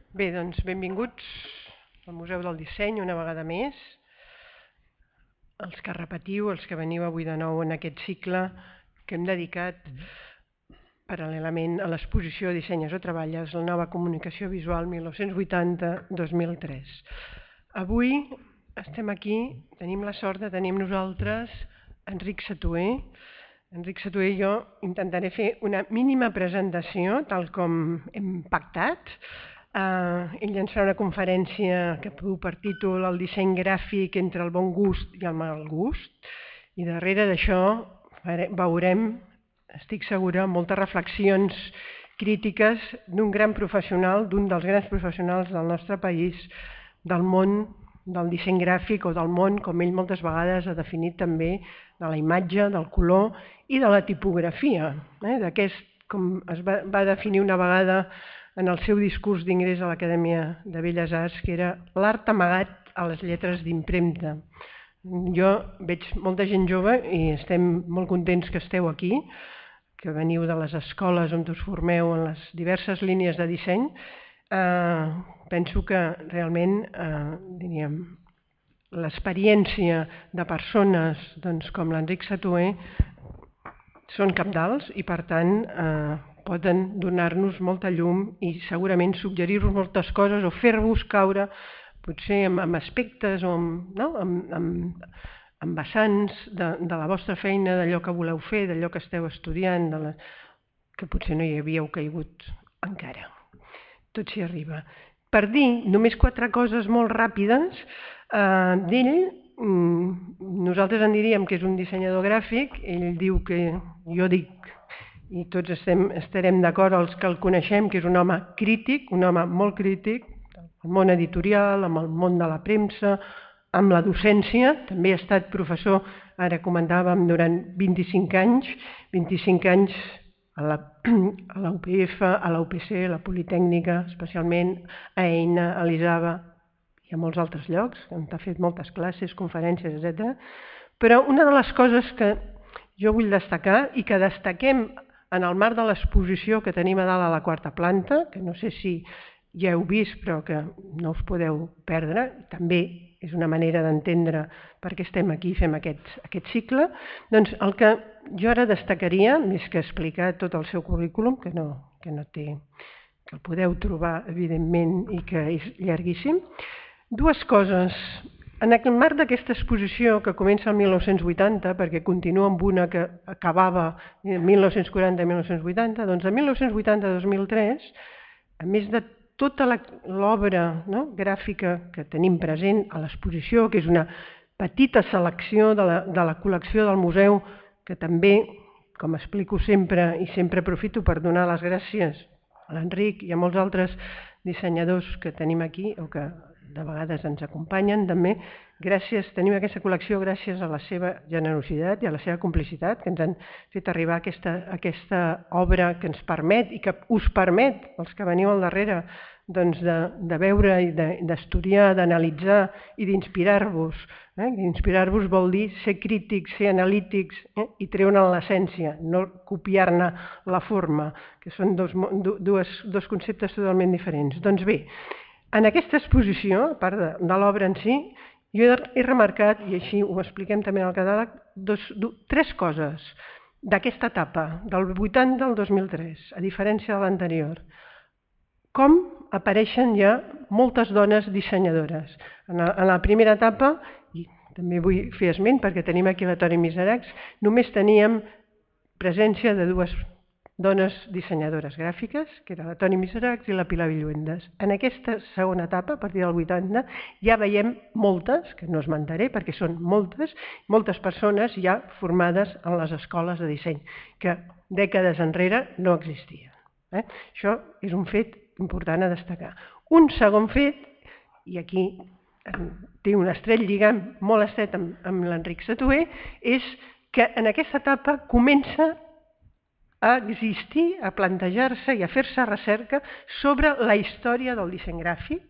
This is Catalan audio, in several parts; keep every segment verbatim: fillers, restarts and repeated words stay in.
Bé, doncs benvinguts al Museu del Disseny una vegada més. Els que repetiu, els que veniu avui de nou en aquest cicle que hem dedicat paral·lelament a l'exposició Dissenyes o treballes, la nova comunicació visual mil nou-cents vuitanta dos mil tres. Avui estem aquí, tenim la sort de tenir amb nosaltres Enric Satué. Enric Satué i jo intentaré fer una mínima presentació, tal com hem pactat. Uh, ell ens farà una conferència que du per títol El disseny gràfic entre el bon gust i el mal gust, i darrere d'això veurem, estic segura, moltes reflexions crítiques d'un gran professional, d'un dels grans professionals del nostre país, del món del disseny gràfic o del món, com ell moltes vegades ha definit també, de la imatge, del color i de la tipografia, eh? D'aquest, com es va, va definir una vegada en el seu discurs d'ingrés a l'Acadèmia de Belles Arts, que era l'art amagat a les lletres d'impremta. Jo veig molta gent jove i estem molt contents que esteu aquí, que veniu de les escoles on us formeu en les diverses línies de disseny. Eh, penso que realment, eh, diríem, l'experiència de persones doncs, com l'Enric Satué són cabdals i, per tant, eh, poden donar-nos molta llum i segurament suggerir-vos moltes coses o fer-vos caure potser amb, amb aspectes o amb, no? amb, amb, amb vessants de, de la vostra feina, d'allò que voleu fer, d'allò que esteu estudiant, de la, que potser no hi havíeu caigut encara. Tot s'hi arriba. Per dir només quatre coses molt ràpides eh, d'ell, nosaltres en diríem que és un dissenyador gràfic, ell diu que, jo dic, i tots estem, estarem d'acord els que el coneixem, que és un home crític, un home molt crític, el món editorial, amb el món de la premsa, amb la docència, també ha estat professor, ara comentàvem, durant vint-i-cinc anys, vint-i-cinc anys a la, a la U P F, a la U P C, a la Politècnica, especialment a EINA, a l'ISABA i a molts altres llocs, on ha fet moltes classes, conferències, etcètera. Però una de les coses que jo vull destacar i que destaquem en el marc de l'exposició que tenim a dalt a la quarta planta, que no sé si ja heu vist però que no us podeu perdre, també és una manera d'entendre per què estem aquí i fem aquest, aquest cicle, doncs el que jo ara destacaria, més que explicar tot el seu currículum, que no, que no té, que el podeu trobar evidentment i que és llarguíssim, dues coses. En el marc d'aquesta exposició que comença el mil nou-cents vuitanta, perquè continua amb una que acabava mil nou-cents quaranta i mil nou-cents vuitanta, doncs de mil nou-cents vuitanta a dos mil tres, a més de tota l'obra no, gràfica que tenim present a l'exposició, que és una petita selecció de la, de la col·lecció del museu, que també, com explico sempre, i sempre aprofito per donar les gràcies a l'Enric i a molts altres dissenyadors que tenim aquí, o que de vegades ens acompanyen també, gràcies, tenim aquesta col·lecció gràcies a la seva generositat i a la seva complicitat, que ens han fet arribar aquesta, aquesta obra que ens permet i que us permet, els que veniu al darrere, doncs de, de veure i d'estudiar, de, d'analitzar i d'inspirar-vos. Eh? Inspirar-vos vol dir ser crítics, ser analítics eh? i treure'n l'essència, no copiar-ne la forma, que són dos, dos, dos conceptes totalment diferents. Doncs bé, en aquesta exposició, a part de, de l'obra en si, jo he, he remarcat, i així ho expliquem també en el catàleg, dos, do, tres coses d'aquesta etapa, del vuitanta al dos mil tres, a diferència de l'anterior. Com apareixen ja moltes dones dissenyadores. En la, en la primera etapa, i també vull fer esment perquè tenim aquí la Toni Miseracs, només teníem presència de dues dones dissenyadores gràfiques, que era la Toni Miseracs i la Pilar Villuendas. En aquesta segona etapa, a partir del vuitanta, ja veiem moltes, que no esmentaré perquè són moltes, moltes persones ja formades en les escoles de disseny, que dècades enrere no existien. Eh? Això és un fet important a destacar. Un segon fet, i aquí té un estrell lligam molt estret amb, amb l'Enric Satué, és que en aquesta etapa comença a existir, a plantejar-se i a fer-se recerca sobre la història del disseny gràfic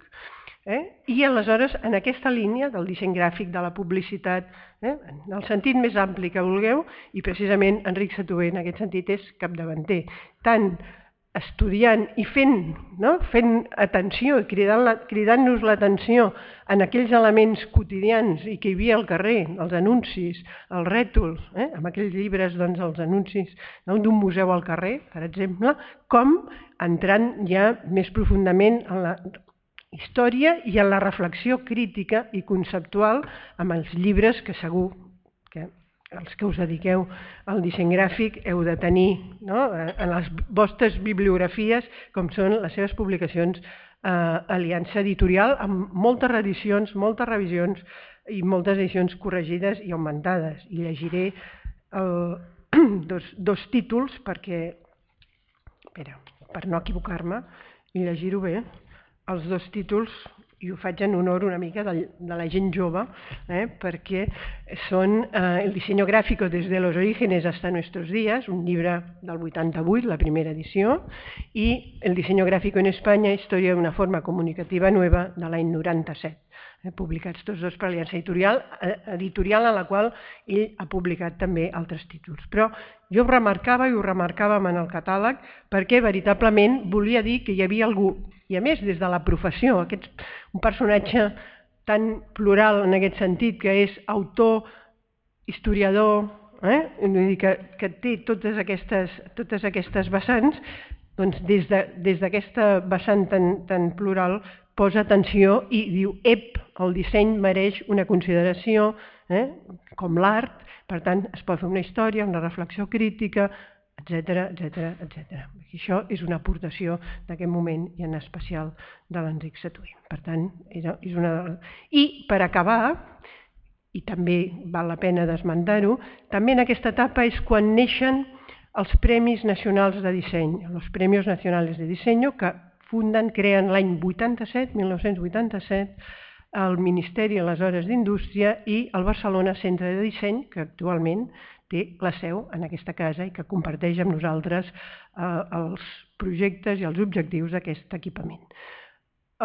eh? i aleshores en aquesta línia del disseny gràfic, de la publicitat, eh? en el sentit més ampli que vulgueu, i precisament Enric Satué en aquest sentit és capdavanter, tant estudiant i fent, no? fent atenció, cridant-nos l'atenció en aquells elements quotidians i que hi havia al carrer, els anuncis, els rètols, eh? amb aquells llibres, doncs, els anuncis no? d'un museu al carrer, per exemple, com entrant ja més profundament en la història i en la reflexió crítica i conceptual amb els llibres que segur que els que us dediqueu al disseny gràfic heu de tenir no? en les vostres bibliografies, com són les seves publicacions eh, Aliança Editorial, amb moltes reedicions, moltes revisions i moltes edicions corregides i augmentades. I llegiré el, dos, dos títols perquè, espera, per no equivocar-me i llegir-ho bé, els dos títols, i ho faig en honor una mica de, de la gent jove, eh, perquè són eh, El diseño gráfico desde los orígenes hasta nuestros días, un llibre del vuitanta-vuit, la primera edició, i El diseño gráfico en España, història d'una forma comunicativa nueva, de l'any noranta-set. Eh, publicats tots dos per Aliança Editorial, editorial en la qual ell ha publicat també altres títols. Però jo ho remarcava i ho remarcàvem en el catàleg perquè veritablement volia dir que hi havia algú, i a més des de la professió, aquest, un personatge tan plural en aquest sentit, que és autor, historiador, eh? Vull dir que, que té totes aquestes, totes aquestes vessants, doncs des d'aquesta vessant tan, tan plural posa atenció i diu, ep, el disseny mereix una consideració, eh? com l'art, per tant es pot fer una història, una reflexió crítica, etcètera, etcètera, etcètera. Això és una aportació d'aquest moment i en especial de l'Enric Satué. Per tant, és una... I per acabar, i també val la pena d'esmentar-ho, també en aquesta etapa és quan neixen els Premis Nacionals de Disseny, els Premis Nacionals de Disseny, que funden, creen l'any vuitanta-set, mil nou-cents vuitanta-set, el Ministeri aleshores d'Indústria i el Barcelona Centre de Disseny, que actualment té la seu en aquesta casa i que comparteix amb nosaltres eh, els projectes i els objectius d'aquest equipament.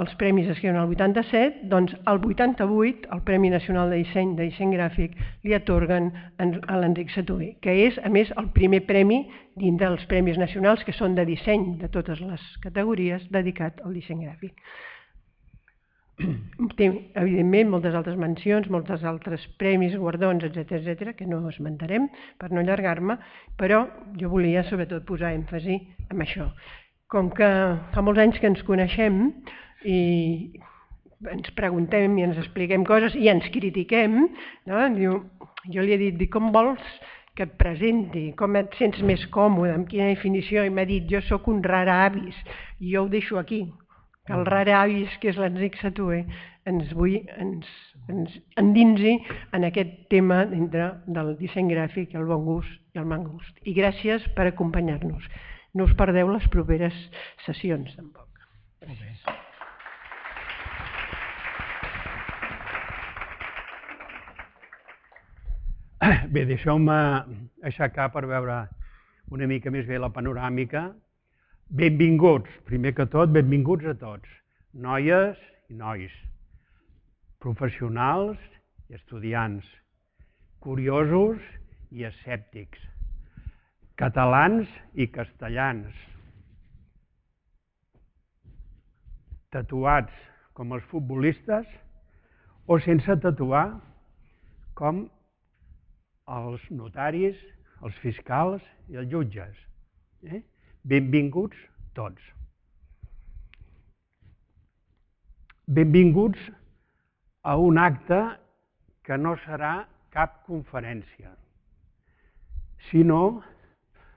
Els premis es creuen el vuitanta-set, doncs el vuitanta-vuit el Premi Nacional de Disseny de Disseny Gràfic li atorguen a l'Enric Satué, que és, a més, el primer premi dins dels premis nacionals, que són de disseny de totes les categories, dedicat al disseny gràfic. Té, evidentment, moltes altres mencions, moltes altres premis, guardons, etcètera, etcètera, que no esmentarem per no allargar-me, però jo volia sobretot posar èmfasi en això. Com que fa molts anys que ens coneixem i ens preguntem i ens expliquem coses i ens critiquem, no? Diu, jo li he dit, com vols que et presenti, com et sents més còmode, amb quina definició, i m'ha dit, jo sóc un rara avis, i jo ho deixo aquí. Que el rara avis, que és l'Enric Satué, ens vull ens, ens endinsi en aquest tema dintre del disseny gràfic, el bon gust i el mal gust. I gràcies per acompanyar-nos. No us perdeu les properes sessions, tampoc. Gràcies. Bé, deixeu-me aixecar per veure una mica més bé la panoràmica. Benvinguts, primer que tot, benvinguts a tots, noies i nois, professionals i estudiants, curiosos i escèptics, catalans i castellans, tatuats com els futbolistes o sense tatuar com els notaris, els fiscals i els jutges. Eh? Benvinguts tots. Benvinguts a un acte que no serà cap conferència. Si no,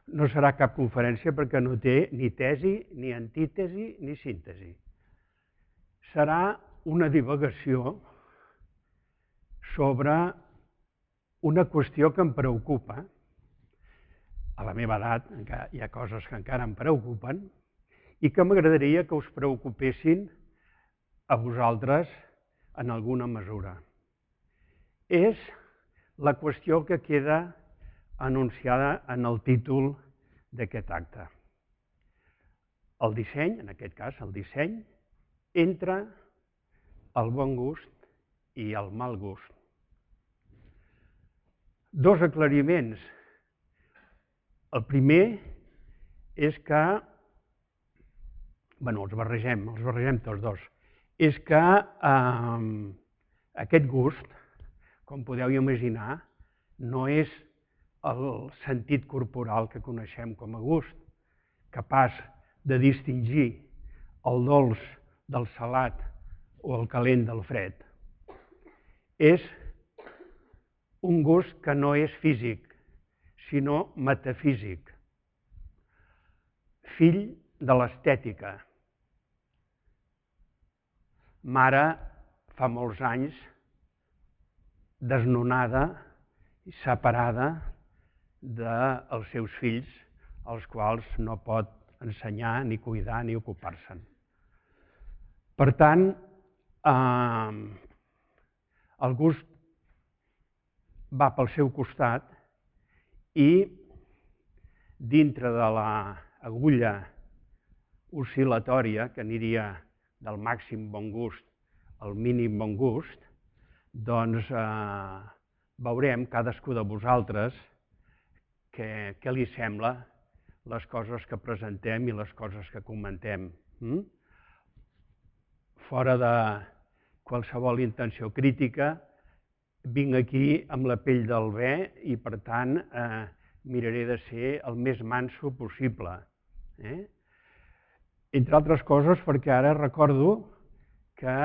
no serà cap conferència perquè no té ni tesi, ni antítesi, ni síntesi. Serà una divagació sobre una qüestió que em preocupa. A la meva edat hi ha coses que encara em preocupen i que m'agradaria que us preocupessin a vosaltres en alguna mesura. És la qüestió que queda anunciada en el títol d'aquest acte. El disseny, en aquest cas el disseny, entre el bon gust i el mal gust. Dos aclariments. El primer és que bueno, els barregem, els barregem tots dos, és que eh, aquest gust, com podeu imaginar, no és el sentit corporal que coneixem com a gust, capaç de distingir el dolç del salat o el calent del fred. És un gust que no és físic, sinó metafísic, fill de l'estètica. Mare, fa molts anys, desnonada i separada dels seus fills, als quals no pot ensenyar, ni cuidar, ni ocupar-se'n. Per tant, eh, el gust va pel seu costat i dintre de l'agulla oscil·latòria, que aniria del màxim bon gust al mínim bon gust, doncs eh, veurem cadascú de vosaltres què, què li sembla les coses que presentem i les coses que comentem. Mm? Fora de qualsevol intenció crítica, vinc aquí amb la pell del bé i, per tant, eh, miraré de ser el més manso possible. Eh? Entre altres coses, perquè ara recordo que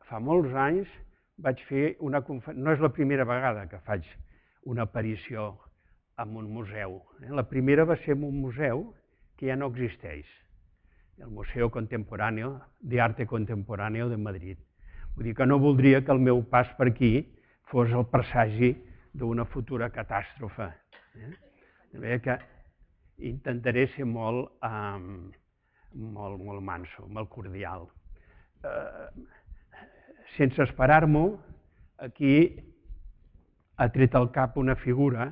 fa molts anys vaig fer una conferència, no és la primera vegada que faig una aparició en un museu. Eh? La primera va ser en un museu que ja no existeix, el Museo Contemporáneo de Arte Contemporáneo de Madrid. Vull dir que no voldria que el meu pas per aquí fos el presagi d'una futura catàstrofe. Eh? De manera que intentaré ser molt, eh, molt, molt manso, molt cordial. Eh, sense esperar-m'ho, aquí ha tret al cap una figura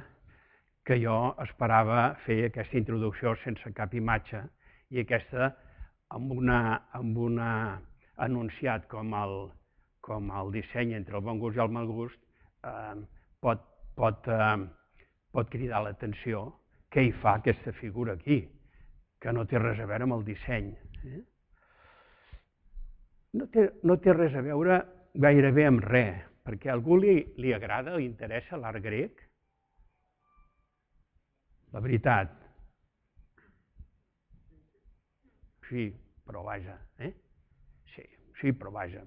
que jo esperava fer aquesta introducció sense cap imatge, i aquesta, amb una, amb una anunciat com el, com el disseny entre el bon gust i el mal gust, eh, pot, pot, eh, pot cridar l'atenció. Què hi fa aquesta figura aquí? Que no té res a veure amb el disseny. Eh? No té, no té res a veure gairebé amb res, perquè a algú li, li agrada, li interessa l'art grec? La veritat. Sí, però vaja. Eh? Sí, sí, però vaja.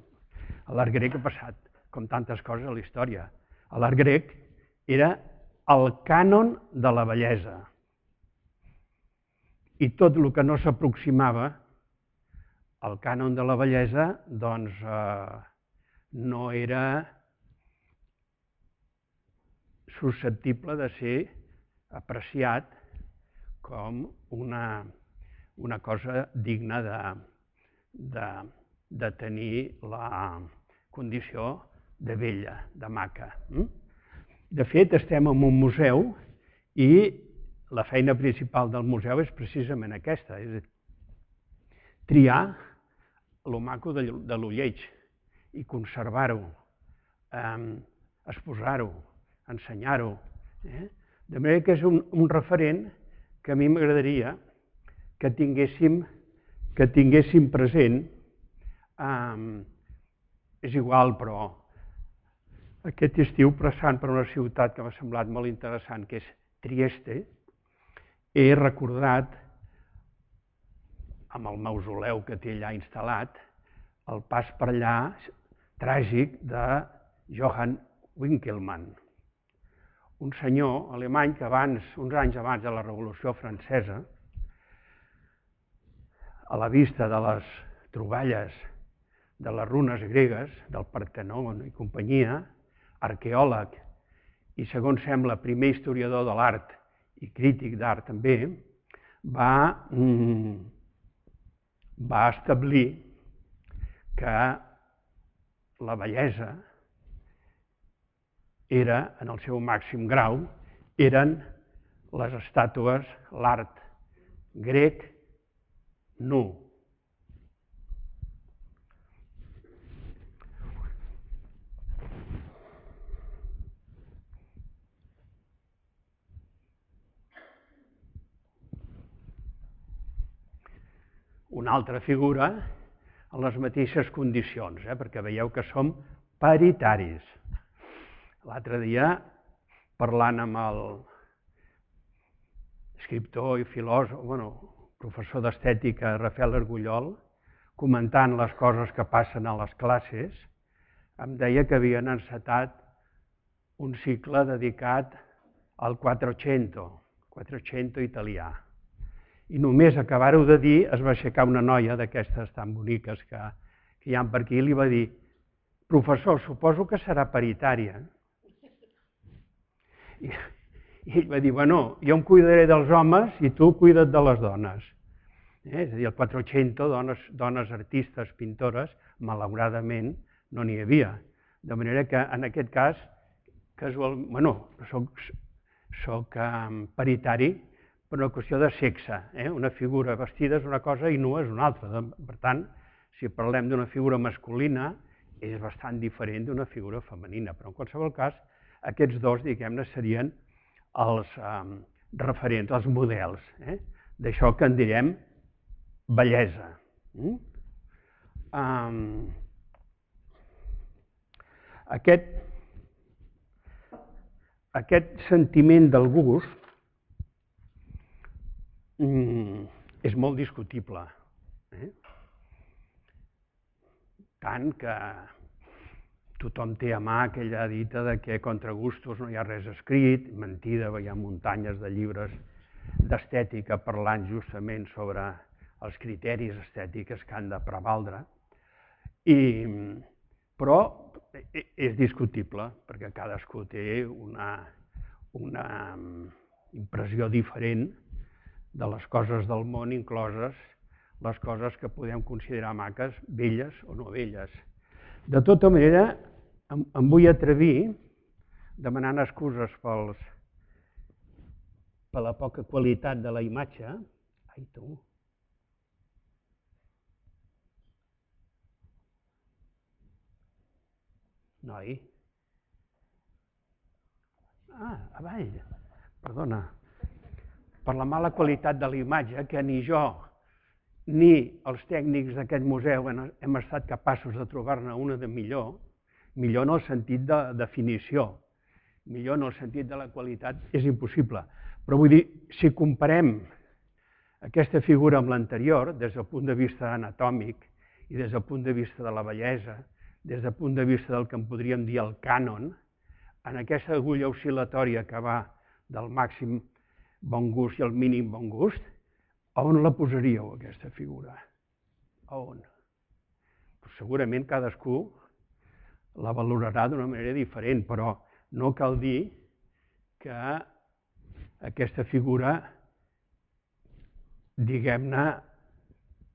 L'art grec ha passat, com tantes coses a la història. L'art grec era el cànon de la bellesa. I tot el que no s'aproximava al cànon de la bellesa, doncs eh, no era susceptible de ser apreciat com una, una cosa digna de, de, de tenir la condició de bella, de maca. De fet, estem en un museu i la feina principal del museu és precisament aquesta, és triar lo maco de lo lleig i conservar-ho, eh, exposar-ho, ensenyar-ho. Eh? De manera que és un, un referent que a mi m'agradaria que tinguéssim, que tinguéssim present. Eh, és igual, però aquest estiu, passant per una ciutat que m'ha semblat molt interessant, que és Trieste, he recordat, amb el mausoleu que té allà instal·lat, el pas per allà tràgic de Johann Winckelmann, un senyor alemany que abans, uns anys abans de la Revolució Francesa, a la vista de les troballes de les runes gregues, del Partenon i companyia, arqueòleg i, segons sembla, primer historiador de l'art i crític d'art també, va, mm, va establir que la bellesa era, en el seu màxim grau, eren les estàtues, l'art grec nu. una altra figura en les mateixes condicions, eh? perquè veieu que som paritaris. L'altre dia, parlant amb el escriptor i filòsof, bueno, professor d'estètica Rafael Argullol, comentant les coses que passen a les classes, em deia que havien encetat un cicle dedicat al Quattrocento, Quattrocento italià. I només acabar-ho de dir es va aixecar una noia d'aquestes tan boniques que, que hi ha per aquí i li va dir: professor, suposo que serà paritària. I, i ell va dir: bueno, jo em cuidaré dels homes i tu cuida't de les dones. Eh? És a dir, el Quattrocento, dones, dones artistes, pintores, malauradament no n'hi havia. De manera que en aquest cas, casual, bueno, soc, soc um, paritari per una qüestió de sexe. Eh? Una figura vestida és una cosa i nua és una altra. Per tant, si parlem d'una figura masculina, és bastant diferent d'una figura femenina. Però en qualsevol cas, aquests dos, diguem-ne, serien els um, referents, els models, eh? d'això que en direm bellesa. Mm? Um, aquest, aquest sentiment del gust mm, és molt discutible. Eh? Tant que tothom té a mà aquella dita de que contra gustos no hi ha res escrit, mentida, hi ha muntanyes de llibres d'estètica parlant justament sobre els criteris estètics que han de prevaldre, I, però és discutible, perquè cadascú té una, una impressió diferent de les coses del món, incloses les coses que podem considerar maques, belles o no belles. De tota manera, em, em vull atrevir, demanant excuses pels, per la poca qualitat de la imatge. Ai, tu! Noi? Ah, avall, perdona. Per la mala qualitat de la imatge, que ni jo ni els tècnics d'aquest museu hem estat capaços de trobar-ne una de millor, millor en el sentit de definició, millor en el sentit de la qualitat, és impossible. Però vull dir, si comparem aquesta figura amb l'anterior, des del punt de vista anatòmic i des del punt de vista de la bellesa, des del punt de vista del que en podríem dir el cànon, en aquesta agulla oscil·latòria que va del màxim bon gust i el mínim bon gust, a on la posaríeu, aquesta figura? A on? Pues segurament cadascú la valorarà d'una manera diferent, però no cal dir que aquesta figura, diguem-ne,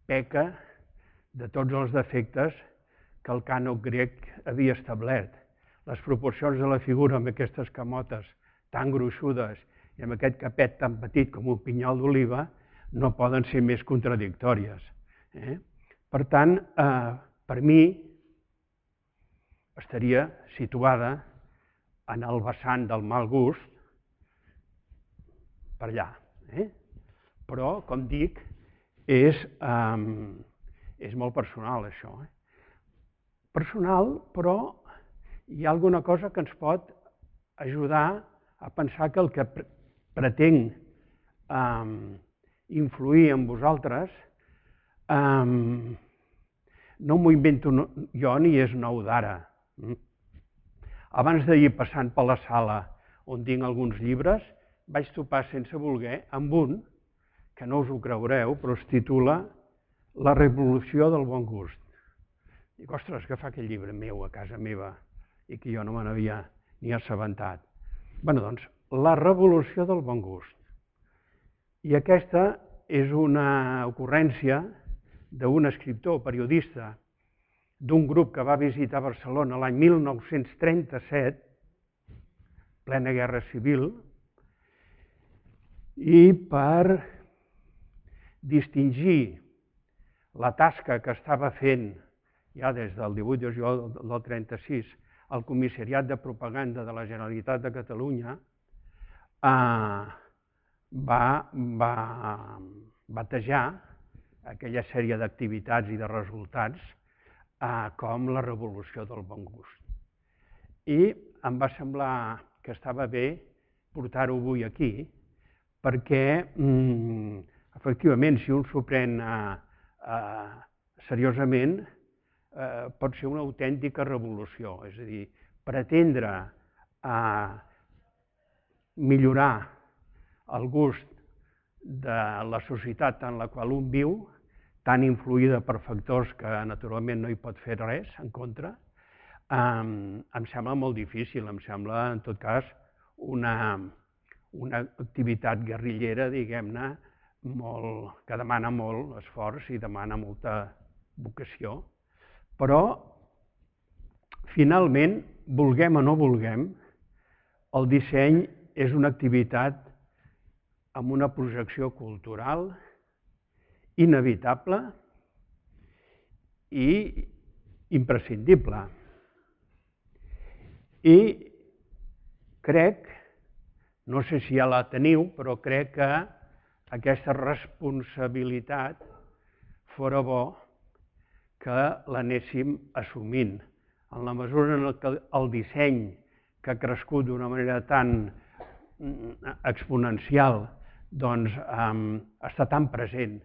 peca de tots els defectes que el cànon grec havia establert. Les proporcions de la figura amb aquestes camotes tan gruixudes i amb aquest capet tan petit com un pinyol d'oliva no poden ser més contradictòries. Eh? Per tant, eh, per mi estaria situada en el vessant del mal gust, per allà. Eh? Però, com dic, és, eh, és molt personal això. Eh? Personal, però hi ha alguna cosa que ens pot ajudar a pensar que el que pretenc eh, influir en vosaltres eh, no m'ho invento jo ni és nou d'ara. Abans d'ahir, passant per la sala on tinc alguns llibres, vaig topar sense voler amb un que no us ho creureu, però es titula La revolució del bon gust. Dic, ostres, que fa aquest llibre meu a casa meva i que jo no me n'havia ni assabentat. Bé, doncs, La revolució del bon gust. I aquesta és una ocurrència d'un escriptor, periodista, d'un grup que va visitar Barcelona l'any mil nou-cents trenta-set, plena guerra civil, i per distingir la tasca que estava fent ja des del divuit de juliol del trenta-sis el Comissariat de Propaganda de la Generalitat de Catalunya, eh, va, va batejar aquella sèrie d'activitats i de resultats com la revolució del bon gust. I em va semblar que estava bé portar-ho avui aquí, perquè, efectivament, si un s'ho pren seriosament, pot ser una autèntica revolució. És a dir, pretendre millorar el gust de la societat en la qual un viu, tan influïda per factors que naturalment no hi pot fer res en contra, em sembla molt difícil, em sembla, en tot cas, una activitat guerrillera, diguem-ne, que demana molt esforç i demana molta vocació. Però, finalment, vulguem o no vulguem, el disseny és una activitat amb una projecció cultural inevitable i imprescindible. I crec, no sé si ja la teniu, però crec que aquesta responsabilitat fora bo que l'anéssim assumint. En la mesura en què el disseny, que ha crescut d'una manera tan exponencial, doncs està tan present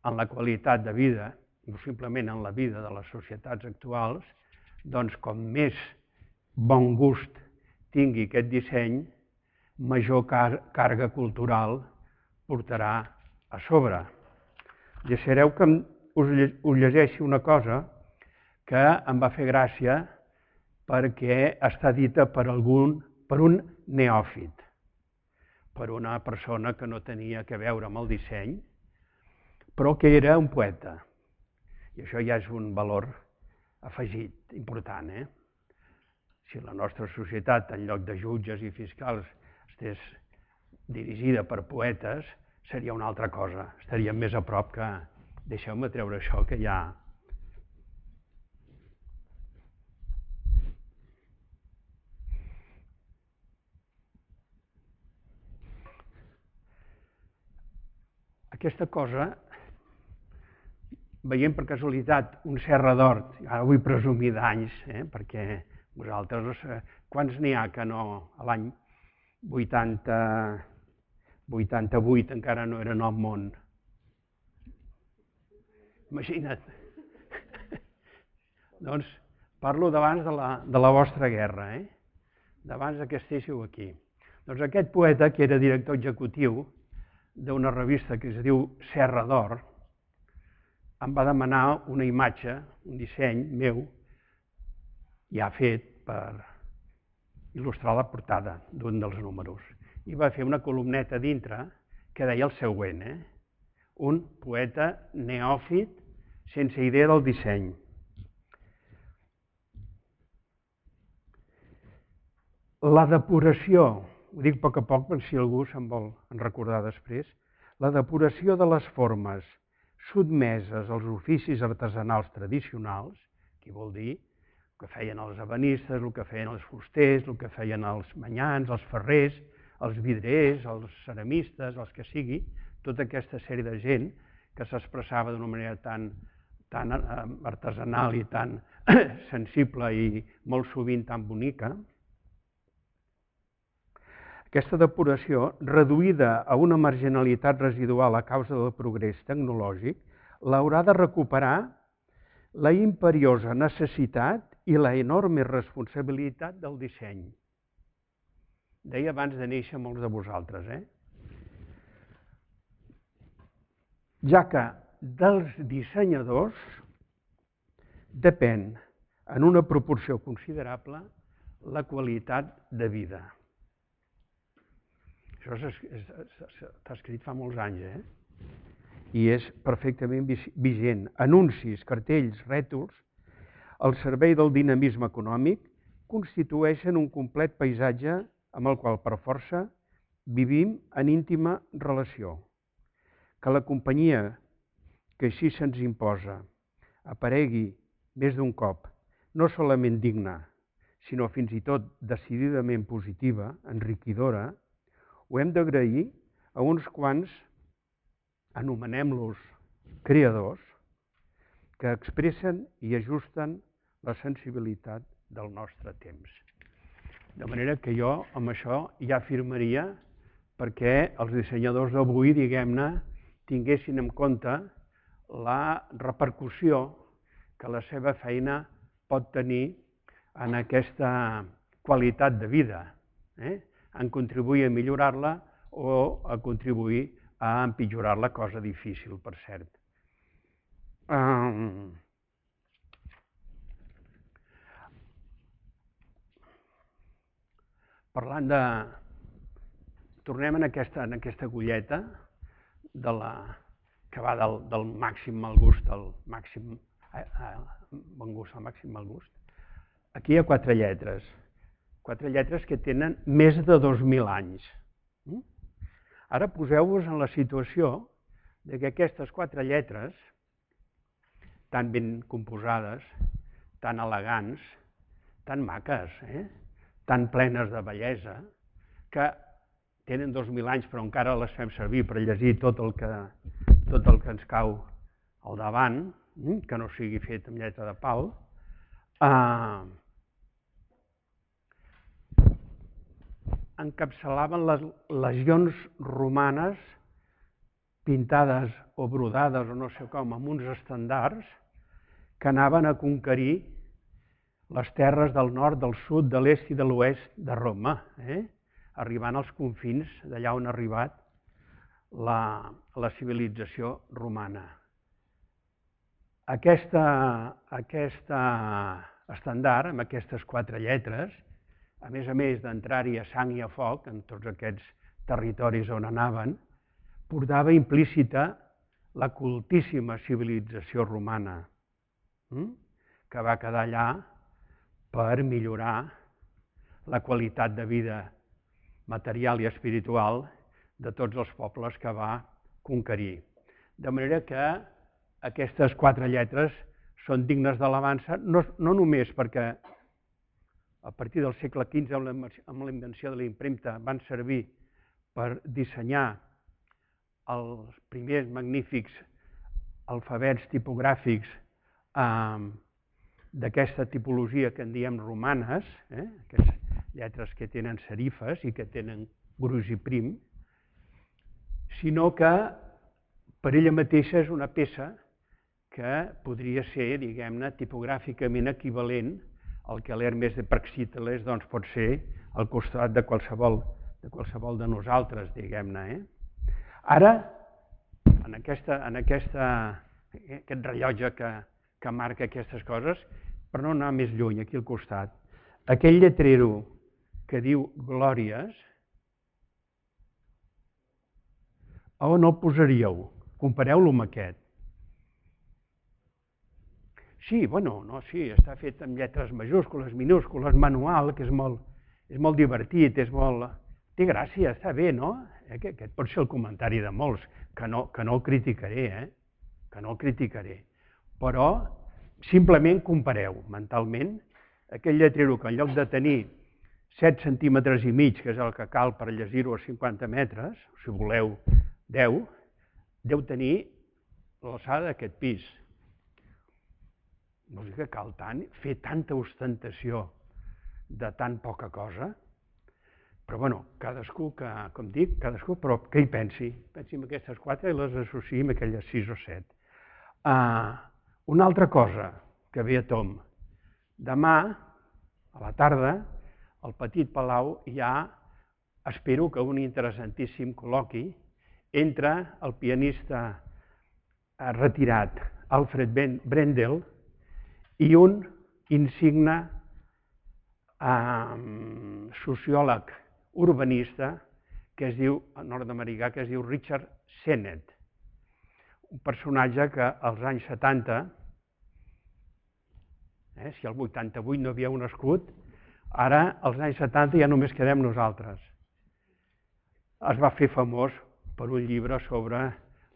en la qualitat de vida, o simplement en la vida de les societats actuals, doncs com més bon gust tingui aquest disseny, major càrrega cultural portarà a sobre. Deixareu que us llegeixi una cosa que em va fer gràcia perquè està dita per algun, per un neòfit, per una persona que no tenia a veure amb el disseny, però que era un poeta. I això ja és un valor afegit important. Si la nostra societat, en lloc de jutges i fiscals, estés dirigida per poetes, seria una altra cosa. Estaríem més a prop que... Deixeu-me treure això, que ja... Aquesta cosa, veient per casualitat un Serra d'Hort, ara vull presumir d'anys, perquè vosaltres, quants n'hi ha que no, a l'any vuitanta-vuit encara no eren al món? Imagina't. Doncs parlo d'abans de la vostra guerra, d'abans que estéssiu aquí. Doncs aquest poeta, que era director executiu d'una revista que es diu Serra d'Or, em va demanar una imatge, un disseny meu, ja fet per il·lustrar la portada d'un dels números. I va fer una columneta dintre que deia el següent, un poeta neòfit sense idea del disseny. La depuració, ho dic a poc a poc per si algú se'n vol recordar després, la depuració de les formes sotmeses als oficis artesanals tradicionals, que vol dir el que feien els ebenistes, el que feien els fusters, el que feien els manyans, els ferrers, els vidriers, els ceramistes, els que sigui, tota aquesta sèrie de gent que s'expressava d'una manera tan artesanal i tan sensible i molt sovint tan bonica. Aquesta depuració, reduïda a una marginalitat residual a causa del progrés tecnològic, l'haurà de recuperar la imperiosa necessitat i la enorme responsabilitat del disseny. Deia abans de néixer molts de vosaltres, eh? Ja que dels dissenyadors depèn en una proporció considerable la qualitat de vida. Això està escrit fa molts anys, eh? I és perfectament vigent. Anuncis, cartells, rètols, al servei del dinamisme econòmic, constitueixen un complet paisatge amb el qual, per força, vivim en íntima relació. Que la companyia que així se'ns imposa aparegui més d'un cop, no solament digna, sinó fins i tot decididament positiva, enriquidora, ho hem d'agrair a uns quants, anomenem-los creadors que expressen i ajusten la sensibilitat del nostre temps. De manera que jo amb això ja afirmaria perquè els dissenyadors d'avui, diguem-ne, tinguessin en compte la repercussió que la seva feina pot tenir en aquesta qualitat de vida, eh? en contribuir a millorar-la o a contribuir a empitjorar-la, cosa difícil, per cert. Um... Parlant de... Tornem en aquesta, en aquesta agulleta de la, que va del, del màxim mal gust al màxim eh, eh, bon gust al màxim mal gust. Aquí hi ha quatre lletres, quatre lletres que tenen més de dos mil anys. Ara poseu-vos en la situació de que aquestes quatre lletres, tan ben composades, tan elegants, tan maques, eh? tan plenes de bellesa, que tenen dos mil anys però encara les fem servir per llegir tot el que, tot el que ens cau al davant, que no sigui fet amb lletra de pal, eh, encapçalaven les legions romanes pintades o brodades o no sé com, amb uns estandards que anaven a conquerir les terres del nord, del sud, de l'est i de l'oest de Roma, eh? arribant als confins d'allà on ha arribat la, la civilització romana. Aquesta, aquesta estandard, amb aquestes quatre lletres, a més a més d'entrar-hi a sang i a foc, en tots aquests territoris on anaven, portava implícita la cultíssima civilització romana, que va quedar allà per millorar la qualitat de vida material i espiritual de tots els pobles que va conquerir. De manera que aquestes quatre lletres són dignes d'alabança, no, no només perquè a partir del segle quinze, amb la invenció de la impremta, van servir per dissenyar els primers magnífics alfabets tipogràfics eh, d'aquesta tipologia que en diem romanes, eh, aquestes lletres que tenen serifes i que tenen gruix i prim, sinó que per ella mateixa és una peça que podria ser, diguem-ne, tipogràficament equivalent al que l'Hermes de Praxíteles doncs, pot ser al costat de qualsevol de, qualsevol de nosaltres, diguem-ne. Eh? Ara, en, aquesta, en aquesta, aquest rellotge que, que marca aquestes coses, per no anar més lluny, aquí al costat, aquell lletrero que diu Glòries, a on el posaríeu? Compareu-lo amb aquest. Sí, bueno, no, sí, està fet amb lletres majúscules, minúscules, manual, que és molt, és molt divertit, és molt... té gràcia, està bé, no? Eh, que, aquest pot ser el comentari de molts, que no, que no el criticaré, eh? que no el criticaré. Però simplement compareu mentalment aquell lletrero que en lloc de tenir set centímetres i mig, que és el que cal per llegir-ho a cinquanta metres, si voleu deu, deu tenir l'alçada d'aquest pis. Vol dir que cal tant, fer tanta ostentació de tan poca cosa, però bueno, cadascú, que, com dic, cadascú, però que hi pensi, pensi en aquestes quatre i les associï amb aquelles sis o set. Uh, una altra cosa que ve a tom, demà, a la tarda, al Petit Palau hi ha, espero que un interessantíssim col·loqui entre el pianista retirat Alfred Brendel i un insigne eh, sociòleg urbanista que es diu, nord-americà, que es diu Richard Sennett, un personatge que als anys setanta, eh, si al vuitanta-vuit no havíeu nascut, ara, als anys setanta, ja només quedem nosaltres. Es va fer famós per un llibre sobre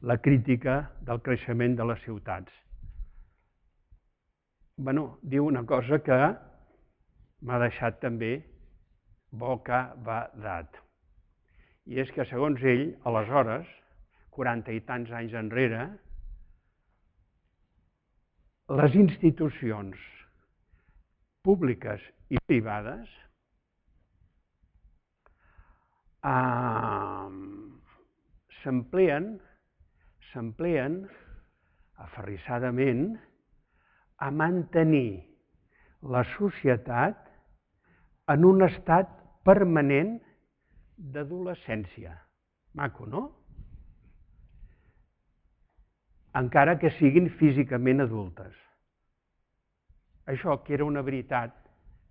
la crítica del creixement de les ciutats. Bueno, diu una cosa que m'ha deixat també bocabadat. I és que, segons ell, aleshores, quaranta i tants anys enrere, les institucions públiques i privades eh, s'amplien, s'amplien aferrissadament a mantenir la societat en un estat permanent d'adolescència. Maco, no? Encara que siguin físicament adultes. Això, que era una veritat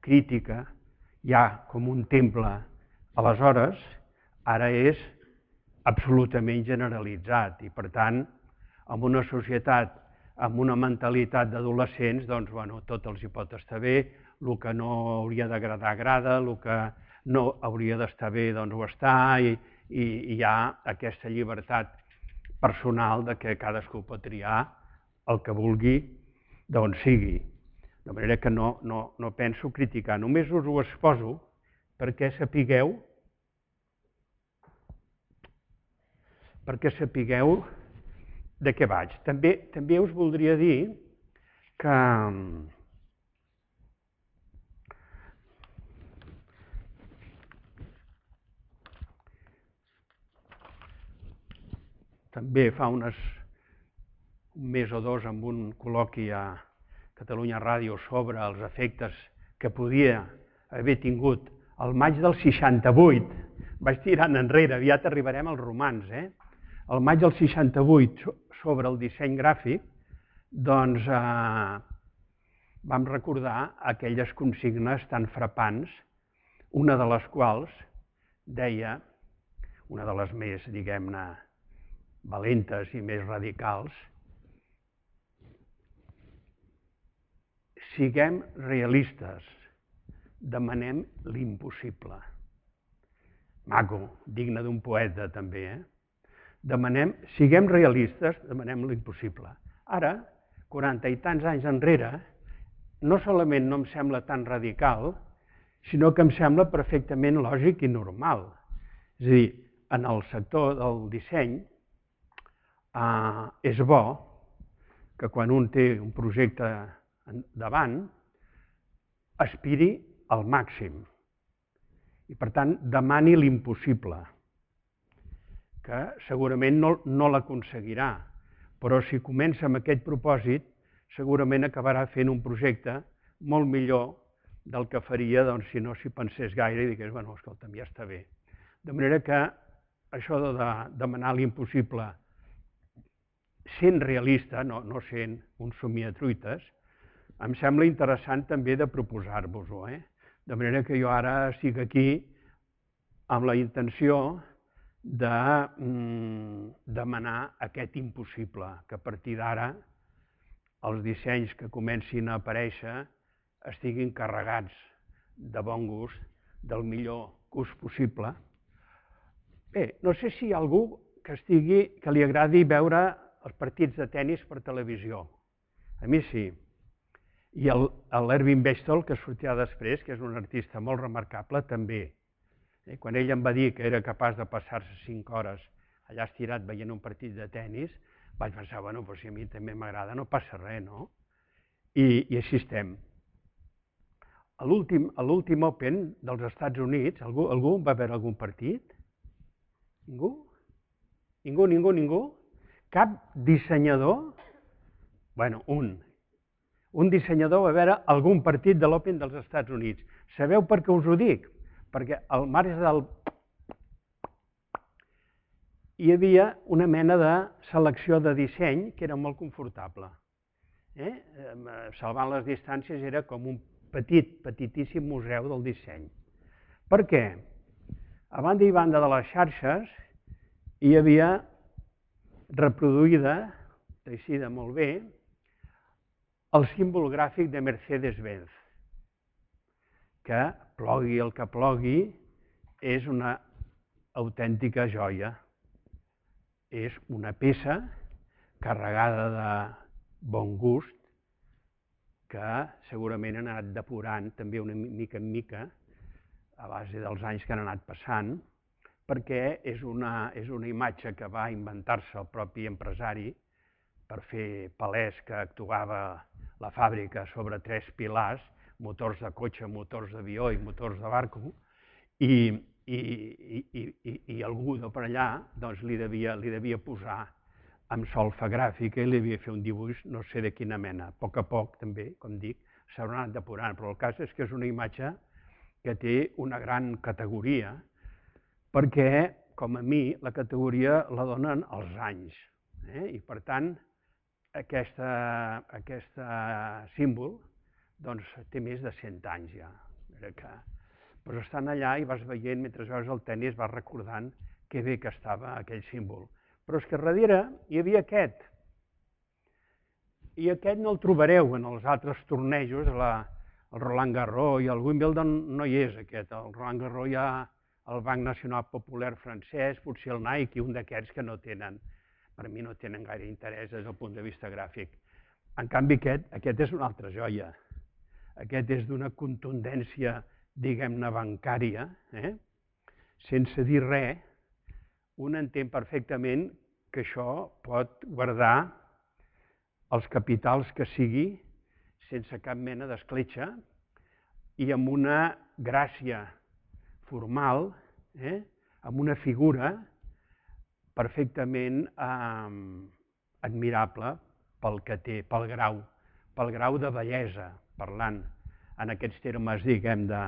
crítica, ja com un temple, aleshores, ara és absolutament generalitzat i, per tant, en una societat amb una mentalitat d'adolescents, doncs, bueno, tot els hi pot estar bé, el que no hauria d'agradar agrada, el que no hauria d'estar bé, doncs ho està, i, i, i hi ha aquesta llibertat personal de que cadascú pot triar el que vulgui d'on sigui. De manera que no, no, no penso criticar, només us ho exposo perquè sapigueu perquè sapigueu de què vaig. També, també us voldria dir que també fa unes, un mes o dos amb un col·loqui a Catalunya Ràdio sobre els efectes que podia haver tingut el maig del seixanta-vuit, vaig tirant enrere, aviat arribarem als romans, eh? El maig del seixanta-vuit sobre el disseny gràfic, doncs eh, vam recordar aquelles consignes tan frapants, una de les quals deia, una de les més, diguem-ne, valentes i més radicals, siguem realistes, demanem l'impossible. Maco, digne d'un poeta també, eh? Demanem, siguem realistes, demanem l'impossible. Ara, quaranta i tants anys enrere, no solament no em sembla tan radical, sinó que em sembla perfectament lògic i normal. És a dir, en el sector del disseny eh, és bo que quan un té un projecte davant aspiri al màxim i, per tant, demani l'impossible, que segurament no, no l'aconseguirà, però si comença amb aquest propòsit, segurament acabarà fent un projecte molt millor del que faria doncs, si no s'hi pensés gaire i digués, bueno, escolta'm, ja està bé. De manera que això de, de demanar l'impossible sent realista, no, no sent un somiatruites, em sembla interessant també de proposar-vos-ho. Eh? De manera que jo ara estic aquí amb la intenció de mm, demanar aquest impossible, que a partir d'ara els dissenys que comencin a aparèixer estiguin carregats de bon gust, del millor gust possible. Bé, no sé si hi ha algú que, estigui, que li agradi veure els partits de tennis per televisió. A mi sí. I l'Ervin Bechtel, que sortirà després, que és un artista molt remarcable, també. Quan ell em va dir que era capaç de passar-se cinc hores allà estirat veient un partit de tennis, vaig pensar, bueno, però si a mi també m'agrada, no passa res, no? I, i així estem. A l'últim Open dels Estats Units, algú, algú va veure algun partit? Ningú? Ningú, ningú, ningú? Cap dissenyador? Bueno, un. Un dissenyador va veure algun partit de l'Open dels Estats Units. Sabeu per què us ho dic? Perquè al marge del... hi havia una mena de selecció de disseny que era molt confortable. Eh? Salvant les distàncies era com un petit, petitíssim museu del disseny. Per què? A banda i banda de les xarxes hi havia reproduïda, teixida molt bé, el símbol gràfic de Mercedes-Benz, que plogui el que plogui és una autèntica joia. És una peça carregada de bon gust que segurament han anat depurant també una mica en mica a base dels anys que han anat passant, perquè és una, és una imatge que va inventar-se el propi empresari per fer palès que actuava la fàbrica sobre tres pilars, motors de cotxe, motors d'avió i motors de barco, i, i, i, i, i algú de per allà doncs, li, devia, li devia posar amb solfa gràfica i li havia fet un dibuix no sé de quina mena. A poc a poc, també, com dic, s'haurà anat depurant, però el cas és que és una imatge que té una gran categoria, perquè, com a mi, la categoria la donen els anys. Eh? I, per tant, aquest símbol doncs, té més de cent anys ja. Que, però estan allà i vas veient, mentre veus el tenis, vas recordant que bé que estava aquell símbol. Però és que darrere hi havia aquest. I aquest no el trobareu en els altres tornejos, la, el Roland Garros i el Wimbledon no hi és aquest. El Roland Garros hi ha el Banc Nacional Popular francès, potser el Nike i un d'aquests que no tenen, per mi no tenen gaire interès des del punt de vista gràfic. En canvi aquest, aquest és una altra joia. Aquest és d'una contundència, diguem-ne, bancària, eh? Sense dir res, un entén perfectament que això pot guardar els capitals que sigui sense cap mena d'escletxa i amb una gràcia formal, eh? Amb una figura perfectament eh, admirable pel que té, pel grau, pel grau de bellesa, parlant en aquests termes, diguem, de,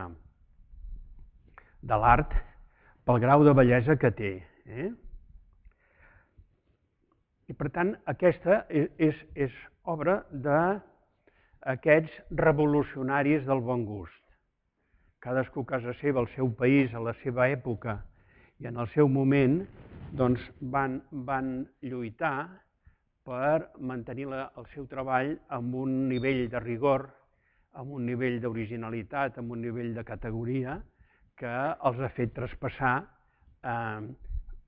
de l'art, pel grau de bellesa que té. Eh? I per tant, aquesta és, és, és obra d'aquests revolucionaris del bon gust. Cadascú a casa seva, al seu país, a la seva època i en el seu moment, doncs van, van lluitar per mantenir la, el seu treball amb un nivell de rigor, amb un nivell d'originalitat, amb un nivell de categoria que els ha fet traspassar eh,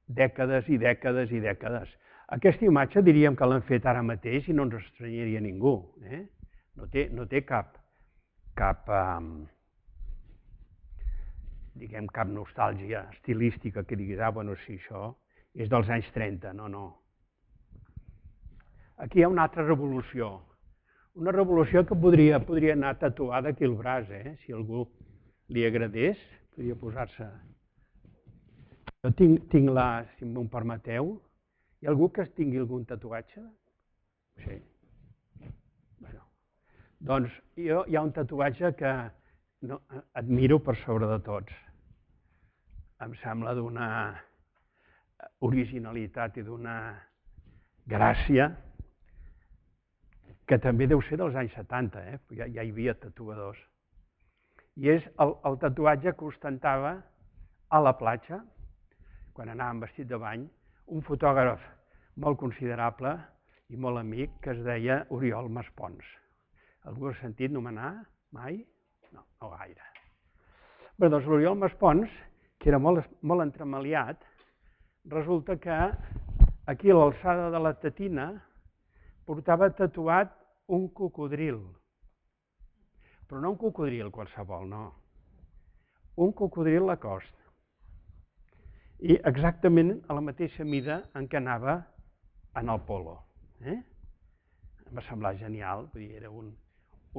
dècades i dècades i dècades. Aquesta imatge diríem que l'han fet ara mateix i no ens estranyaria ningú. Eh? No té, no té cap, cap, eh, diguem, cap nostàlgia estilística que diguis, ah, bueno, sí, això és dels anys trenta, no, no. Aquí hi ha una altra revolució, una revolució que podria, podria anar tatuada aquí al braç, eh? Si algú li agradés, podria posar-se. Jo tinc, tinc la, si m'ho permeteu, hi ha algú que tingui algun tatuatge? Sí. Bueno, doncs jo, hi ha un tatuatge que no, admiro per sobre de tots. Em sembla d'una originalitat i d'una gràcia que també deu ser dels anys setanta, eh? ja, ja hi havia tatuadors. I és el, el tatuatge que ostentava a la platja, quan anàvem vestit de bany, un fotògraf molt considerable i molt amic que es deia Oriol Maspons. Algú ha sentit nomenar mai? No, no gaire. Bé, doncs l'Oriol Maspons, que era molt, molt entremaliat, resulta que aquí a l'alçada de la tetina portava tatuat un cocodril. Però no un cocodril qualsevol, no. Un cocodril Lacoste. I exactament a la mateixa mida en què anava en el polo. Eh? Em va semblar genial, vull dir, era un,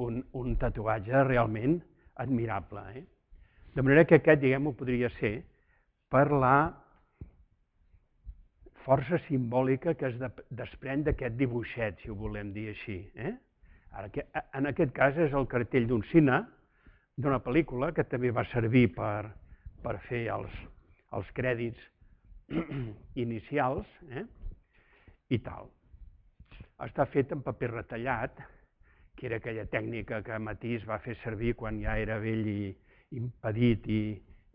un, un tatuatge realment admirable. Eh? De manera que aquest, diguem-ho, podria ser per la força simbòlica que es desprèn d'aquest dibuixet, si ho volem dir així. Eh? Ara, en aquest cas és el cartell d'un cine, d'una pel·lícula, que també va servir per, per fer els, els crèdits inicials, eh? I tal. Està fet en paper retallat, que era aquella tècnica que Matisse va fer servir quan ja era vell i impedit i,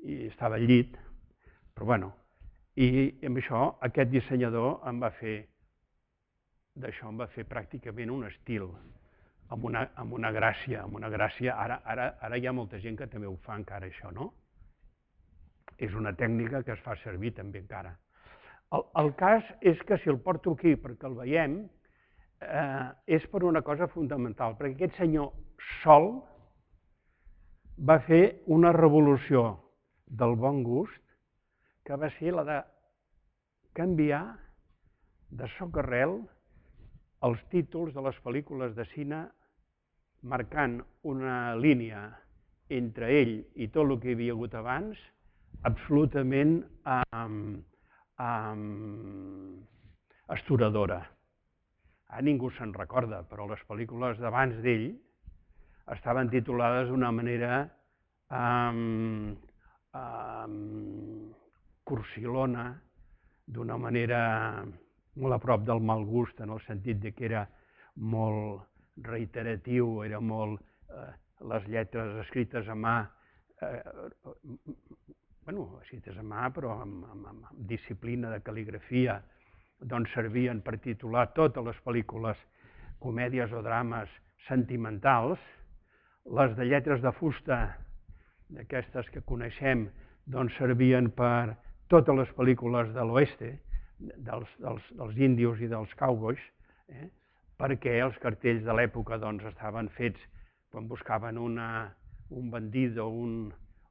i estava al llit, però bueno, i amb això aquest dissenyador em va fer, d'això em va fer pràcticament un estil, amb una, amb una gràcia, amb una gràcia, ara, ara, ara hi ha molta gent que també ho fa encara això, no? És una tècnica que es fa servir també encara. El, el cas és que si el porto aquí perquè el veiem, eh, és per una cosa fonamental, perquè aquest senyor sol va fer una revolució del bon gust que va ser la de canviar de socarrel els títols de les pel·lícules de cine marcant una línia entre ell i tot el que hi havia hagut abans, absolutament um, um, astoradora. Ara ningú se'n recorda, però les pel·lícules d'abans d'ell estaven titulades d'una manera um, um, cursilona, d'una manera molt a prop del mal gust, en el sentit de que era molt reiteratiu, era molt... Eh, les lletres escrites a mà, eh, bueno, escrites a mà, però amb, amb, amb disciplina de cal·ligrafia, doncs servien per titular totes les pel·lícules, comèdies o drames sentimentals. Les de lletres de fusta, d'aquestes que coneixem, doncs servien per totes les pel·lícules de l'oeste, dels, dels, dels índios i dels cowboys, eh? perquè els cartells de l'època doncs, estaven fets quan buscaven una, un bandit o un,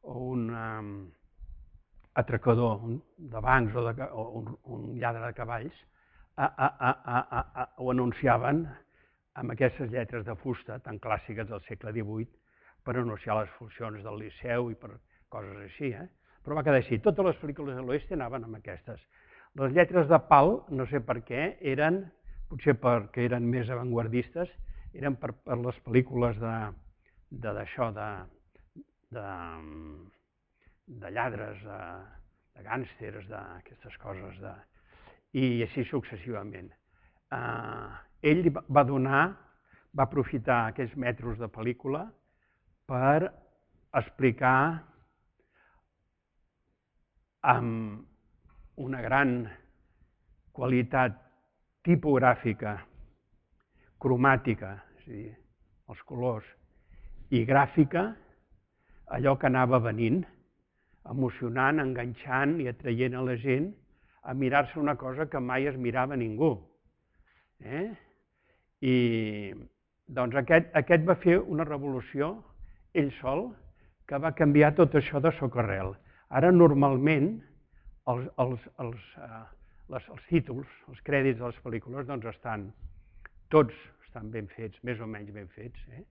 o un um, atracador de bancs o, de, o un, un lladre de cavalls, a, a, a, a, a, ho anunciaven amb aquestes lletres de fusta tan clàssiques del segle divuit per anunciar les funcions del Liceu i per coses així. Eh? Però va quedar així. Totes les pel·lícules de l'oest anaven amb aquestes. Les lletres de pal, no sé per què, eren, potser perquè eren més avantguardistes, eren per, per les pel·lícules de d'això, de, de, de lladres, de, de gàngsters, d'aquestes coses, de, i així successivament. Uh, ell va donar, va aprofitar aquells metres de pel·lícula per explicar amb una gran qualitat tipogràfica, cromàtica, és a dir, els colors, i gràfica, allò que anava venint, emocionant, enganxant i atraient a la gent a mirar-se una cosa que mai es mirava ningú. Eh? I doncs aquest, aquest va fer una revolució, ell sol, que va canviar tot això de socarrel. Ara normalment els, els, els, uh, les, els títols, els crèdits de les pel·lícules, doncs estan, tots estan ben fets, més o menys ben fets, eh?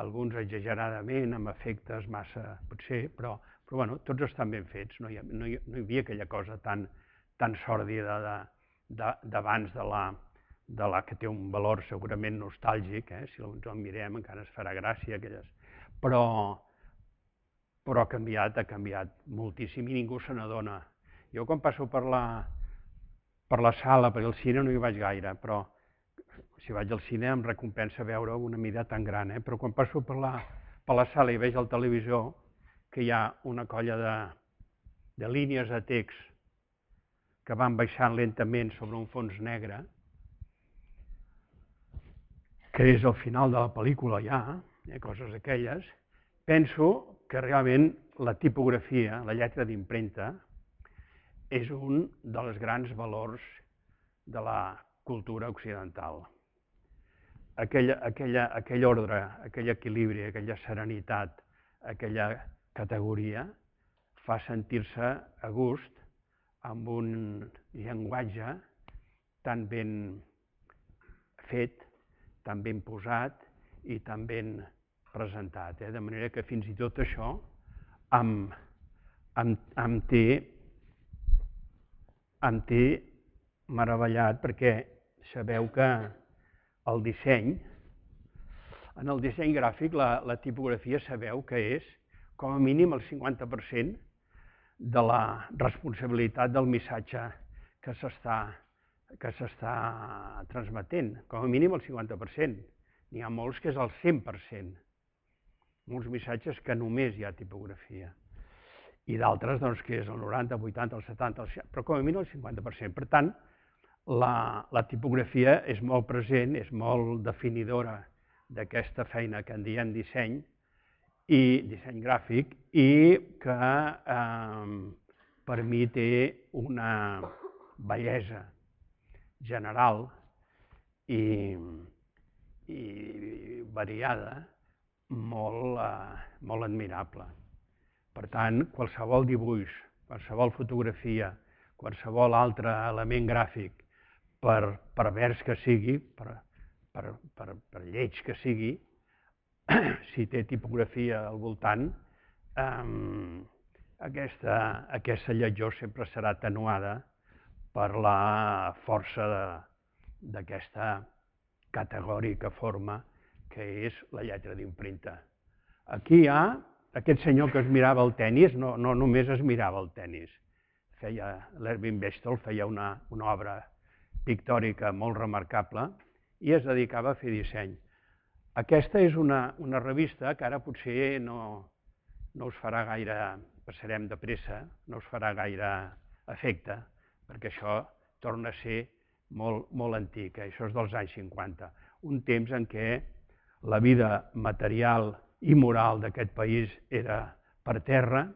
Alguns exageradament, amb efectes massa, potser, però, però bueno, tots estan ben fets, no hi, ha, no hi, no hi havia aquella cosa tan, tan sòrdida d'abans de, de, de, la, de la que té un valor segurament nostàlgic, eh? Si ens en mirem encara es farà gràcia, aquelles, però, però ha canviat, ha canviat moltíssim i ningú se n'adona. Jo quan passo per la, per la sala, perquè al cine no hi vaig gaire, però si vaig al cine em recompensa veure una mida tan gran, eh? Però quan passo per la, per la sala i veig al televisor que hi ha una colla de, de línies de text que van baixant lentament sobre un fons negre, que és al final de la pel·lícula ja, eh? Coses d'aquelles, penso que realment la tipografia, la lletra d'impremta, és un dels grans valors de la cultura occidental. Aquella, aquella, aquell ordre, aquell equilibri, aquella serenitat, aquella categoria fa sentir-se a gust amb un llenguatge tan ben fet, tan ben posat i tan ben presentat. Eh? De manera que fins i tot això em, em, em té, em té meravellat perquè sabeu que el disseny, en el disseny gràfic, la, la tipografia sabeu que és com a mínim el cinquanta per cent de la responsabilitat del missatge que s'està que s'està transmetent, com a mínim el cinquanta per cent. N'hi ha molts que és el cent per cent. Molts missatges que només hi ha tipografia. I d'altres doncs, que és el noranta, el vuitanta, el setanta, el seixanta, però com a mínim el cinquanta per cent. Per tant, La, la tipografia és molt present, és molt definidora d'aquesta feina que en diem disseny, i disseny gràfic, i que eh, per mi té una bellesa general i, i variada molt, eh, molt admirable. Per tant, qualsevol dibuix, qualsevol fotografia, qualsevol altre element gràfic, per pervers que sigui, per, per, per, per lleig que sigui, si té tipografia al voltant, aquesta lletjor sempre serà atenuada per la força d'aquesta categòrica forma que és la lletra d'impremta. Aquí hi ha aquest senyor que es mirava el tenis, no només es mirava el tenis, l'Erwin Bechtel feia una obra pictòrica molt remarcable i es dedicava a fer disseny. Aquesta és una revista que ara potser no us farà gaire, passarem de pressa, no us farà gaire efecte, perquè això torna a ser molt antic, això és dels anys cinquanta, un temps en què la vida material i moral d'aquest país era per terra,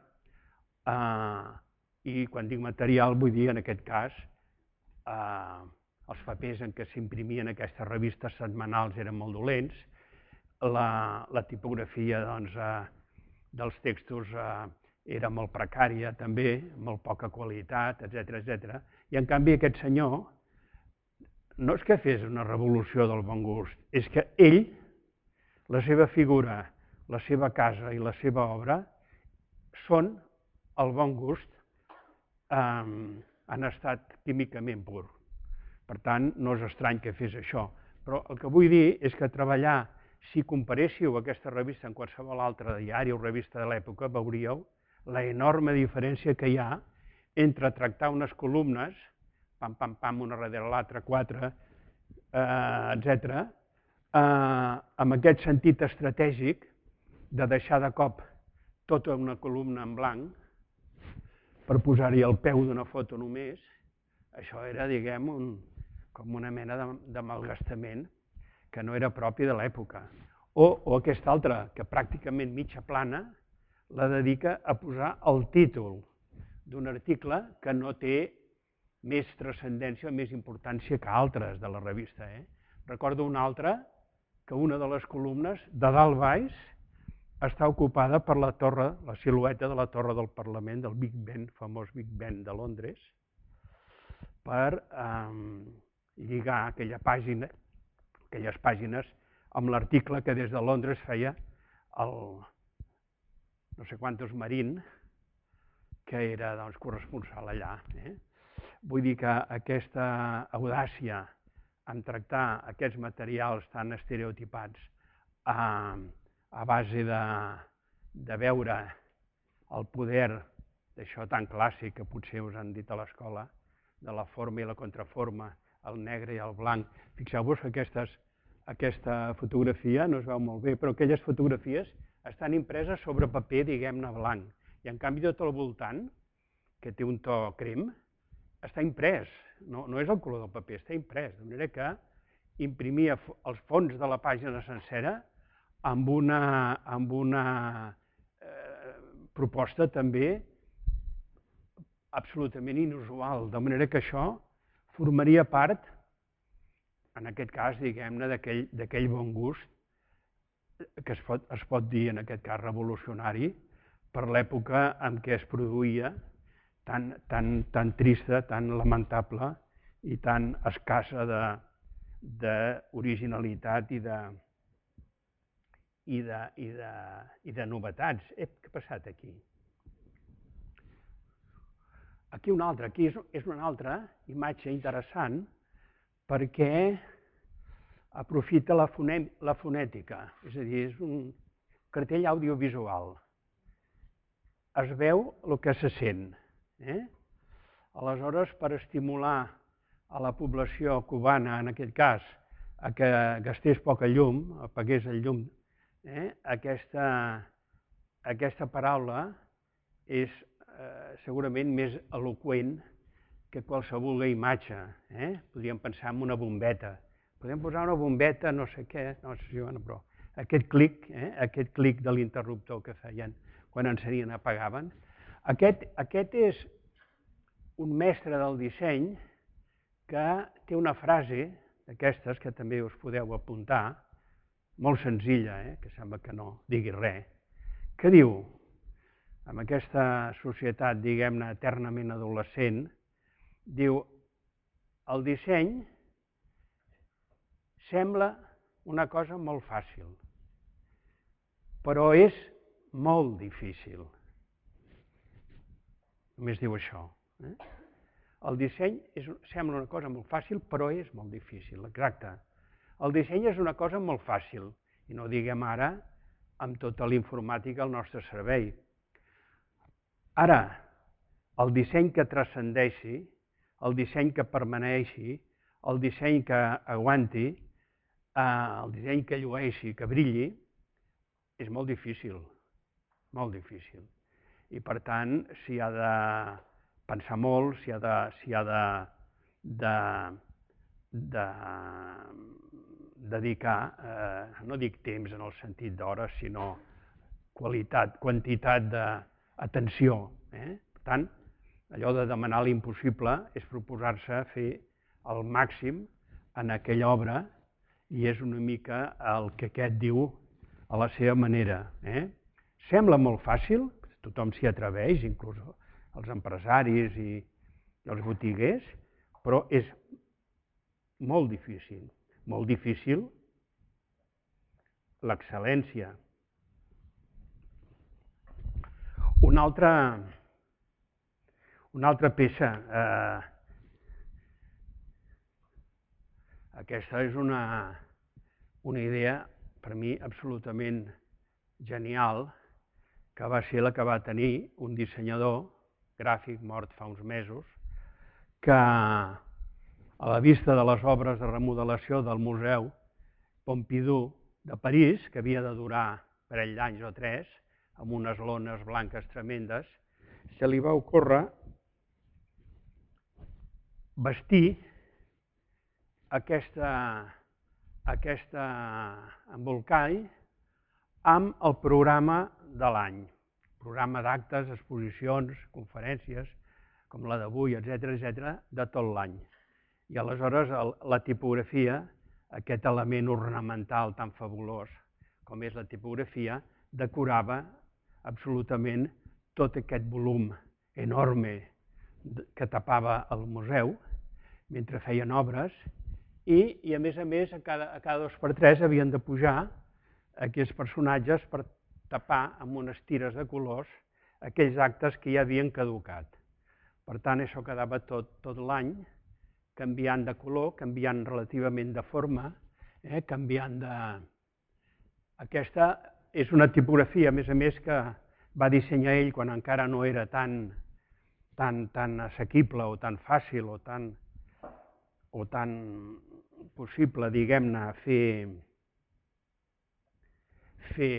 i quan dic material vull dir en aquest cas els papers en què s'imprimien aquestes revistes setmanals eren molt dolents, la tipografia dels textos era molt precària també, molt poca qualitat, etcètera. I en canvi aquest senyor no és que fes una revolució del bon gust, és que ell, la seva figura, la seva casa i la seva obra són el bon gust, han estat químicament pur. Per tant, no és estrany que fes això. Però el que vull dir és que treballar, si comparéssiu aquesta revista amb qualsevol altre diari o revista de l'època, veuríeu l'enorme diferència que hi ha entre tractar unes columnes, pam, pam, pam, una darrere l'altra, quatre, etcètera, amb aquest sentit estratègic de deixar de cop tota una columna en blanc per posar-hi el peu d'una foto només. Això era, diguem, com una mena de malgastament que no era propi de l'època. O aquesta altra, que pràcticament mitja plana, la dedica a posar el títol d'un article que no té més transcendència o més importància que altres de la revista. Recordo una altra, que una de les columnes, de dalt baix, està ocupada per la torre, la silueta de la torre del Parlament, del Big Ben, famós Big Ben de Londres, per lligar aquella pàgina, aquelles pàgines amb l'article que des de Londres feia el no sé quantos Marín, que era corresponsal allà. Vull dir que aquesta audàcia en tractar aquests materials tan estereotipats a base de veure el poder d'això tan clàssic que potser us han dit a l'escola, de la forma i la contraforma, el negre i el blanc. Fixeu-vos que aquesta fotografia no es veu molt bé, però aquelles fotografies estan impreses sobre paper, diguem-ne, blanc. I en canvi tot al voltant, que té un to crem, està imprès. No és el color del paper, està imprès. De manera que imprimia els fons de la pàgina sencera amb una proposta també absolutament inusual. De manera que això formaria part, en aquest cas, diguem-ne, d'aquell bon gust que es pot dir, en aquest cas, revolucionari, per l'època en què es produïa, tan trista, tan lamentable i tan escassa d'originalitat i de novetats. Ep, què ha passat aquí? Aquí una altra, aquí és una altra imatge interessant perquè aprofita la fonètica, és a dir, és un cartell audiovisual. Es veu el que se sent. Aleshores, per estimular a la població cubana, en aquest cas, a que gastés poca llum, apagués el llum, aquesta paraula és segurament més eloqüent que qualsevol imatge. Podríem pensar en una bombeta. Podem posar una bombeta, no sé què, no sé si ho però aquest clic, aquest clic de l'interruptor que feien quan encenien i apagaven. Aquest és un mestre del disseny que té una frase d'aquestes que també us podeu apuntar, molt senzilla, que sembla que no digui res, que diu, en aquesta societat, diguem-ne, eternament adolescent, diu, el disseny sembla una cosa molt fàcil, però és molt difícil. Només diu això. Eh? El disseny és, sembla una cosa molt fàcil, però és molt difícil, exacte. El disseny és una cosa molt fàcil, i no diguem ara amb tota la informàtica al nostre servei. Ara, el disseny que transcendeixi, el disseny que permaneixi, el disseny que aguanti, el disseny que llueixi, que brilli, és molt difícil, molt difícil. I per tant, s'hi ha de pensar molt, s'hi ha de, s'hi ha de, de, de dedicar, eh, no dic temps en el sentit d'hores, sinó qualitat, quantitat d'atenció. Eh? Per tant, allò de demanar l'impossible és proposar-se fer el màxim en aquella obra i és una mica el que aquest diu a la seva manera. Eh? Sembla molt fàcil, tothom s'hi atreveix, inclús els empresaris i els botiguers, però és molt difícil, molt difícil l'excel·lència. Una altra, una altra peça, eh, aquesta és una, una idea per mi absolutament genial, que va ser la que va tenir un dissenyador gràfic mort fa uns mesos, que a la vista de les obres de remodelació del Museu Pompidou de París, que havia de durar un parell d'anys o tres, amb unes lones blanques tremendes, se li va ocórrer vestir aquesta, aquesta embolcall amb el programa de l'any, programa d'actes, exposicions, conferències, com la d'avui, etcètera, etcètera, de tot l'any. I aleshores la tipografia, aquest element ornamental tan fabulós com és la tipografia, decorava absolutament tot aquest volum enorme que tapava el museu mentre feien obres i, i a més a més, a cada, a cada dos per tres havien de pujar aquests personatges per tapar amb unes tires de colors aquells actes que ja havien caducat. Per tant, això quedava tot, tot l'any canviant de color, canviant relativament de forma, eh, canviant de... Aquesta és una tipografia, a més a més, que va dissenyar ell quan encara no era tan, tan, tan assequible o tan fàcil o tan, o tan possible, diguem-ne, fer, fer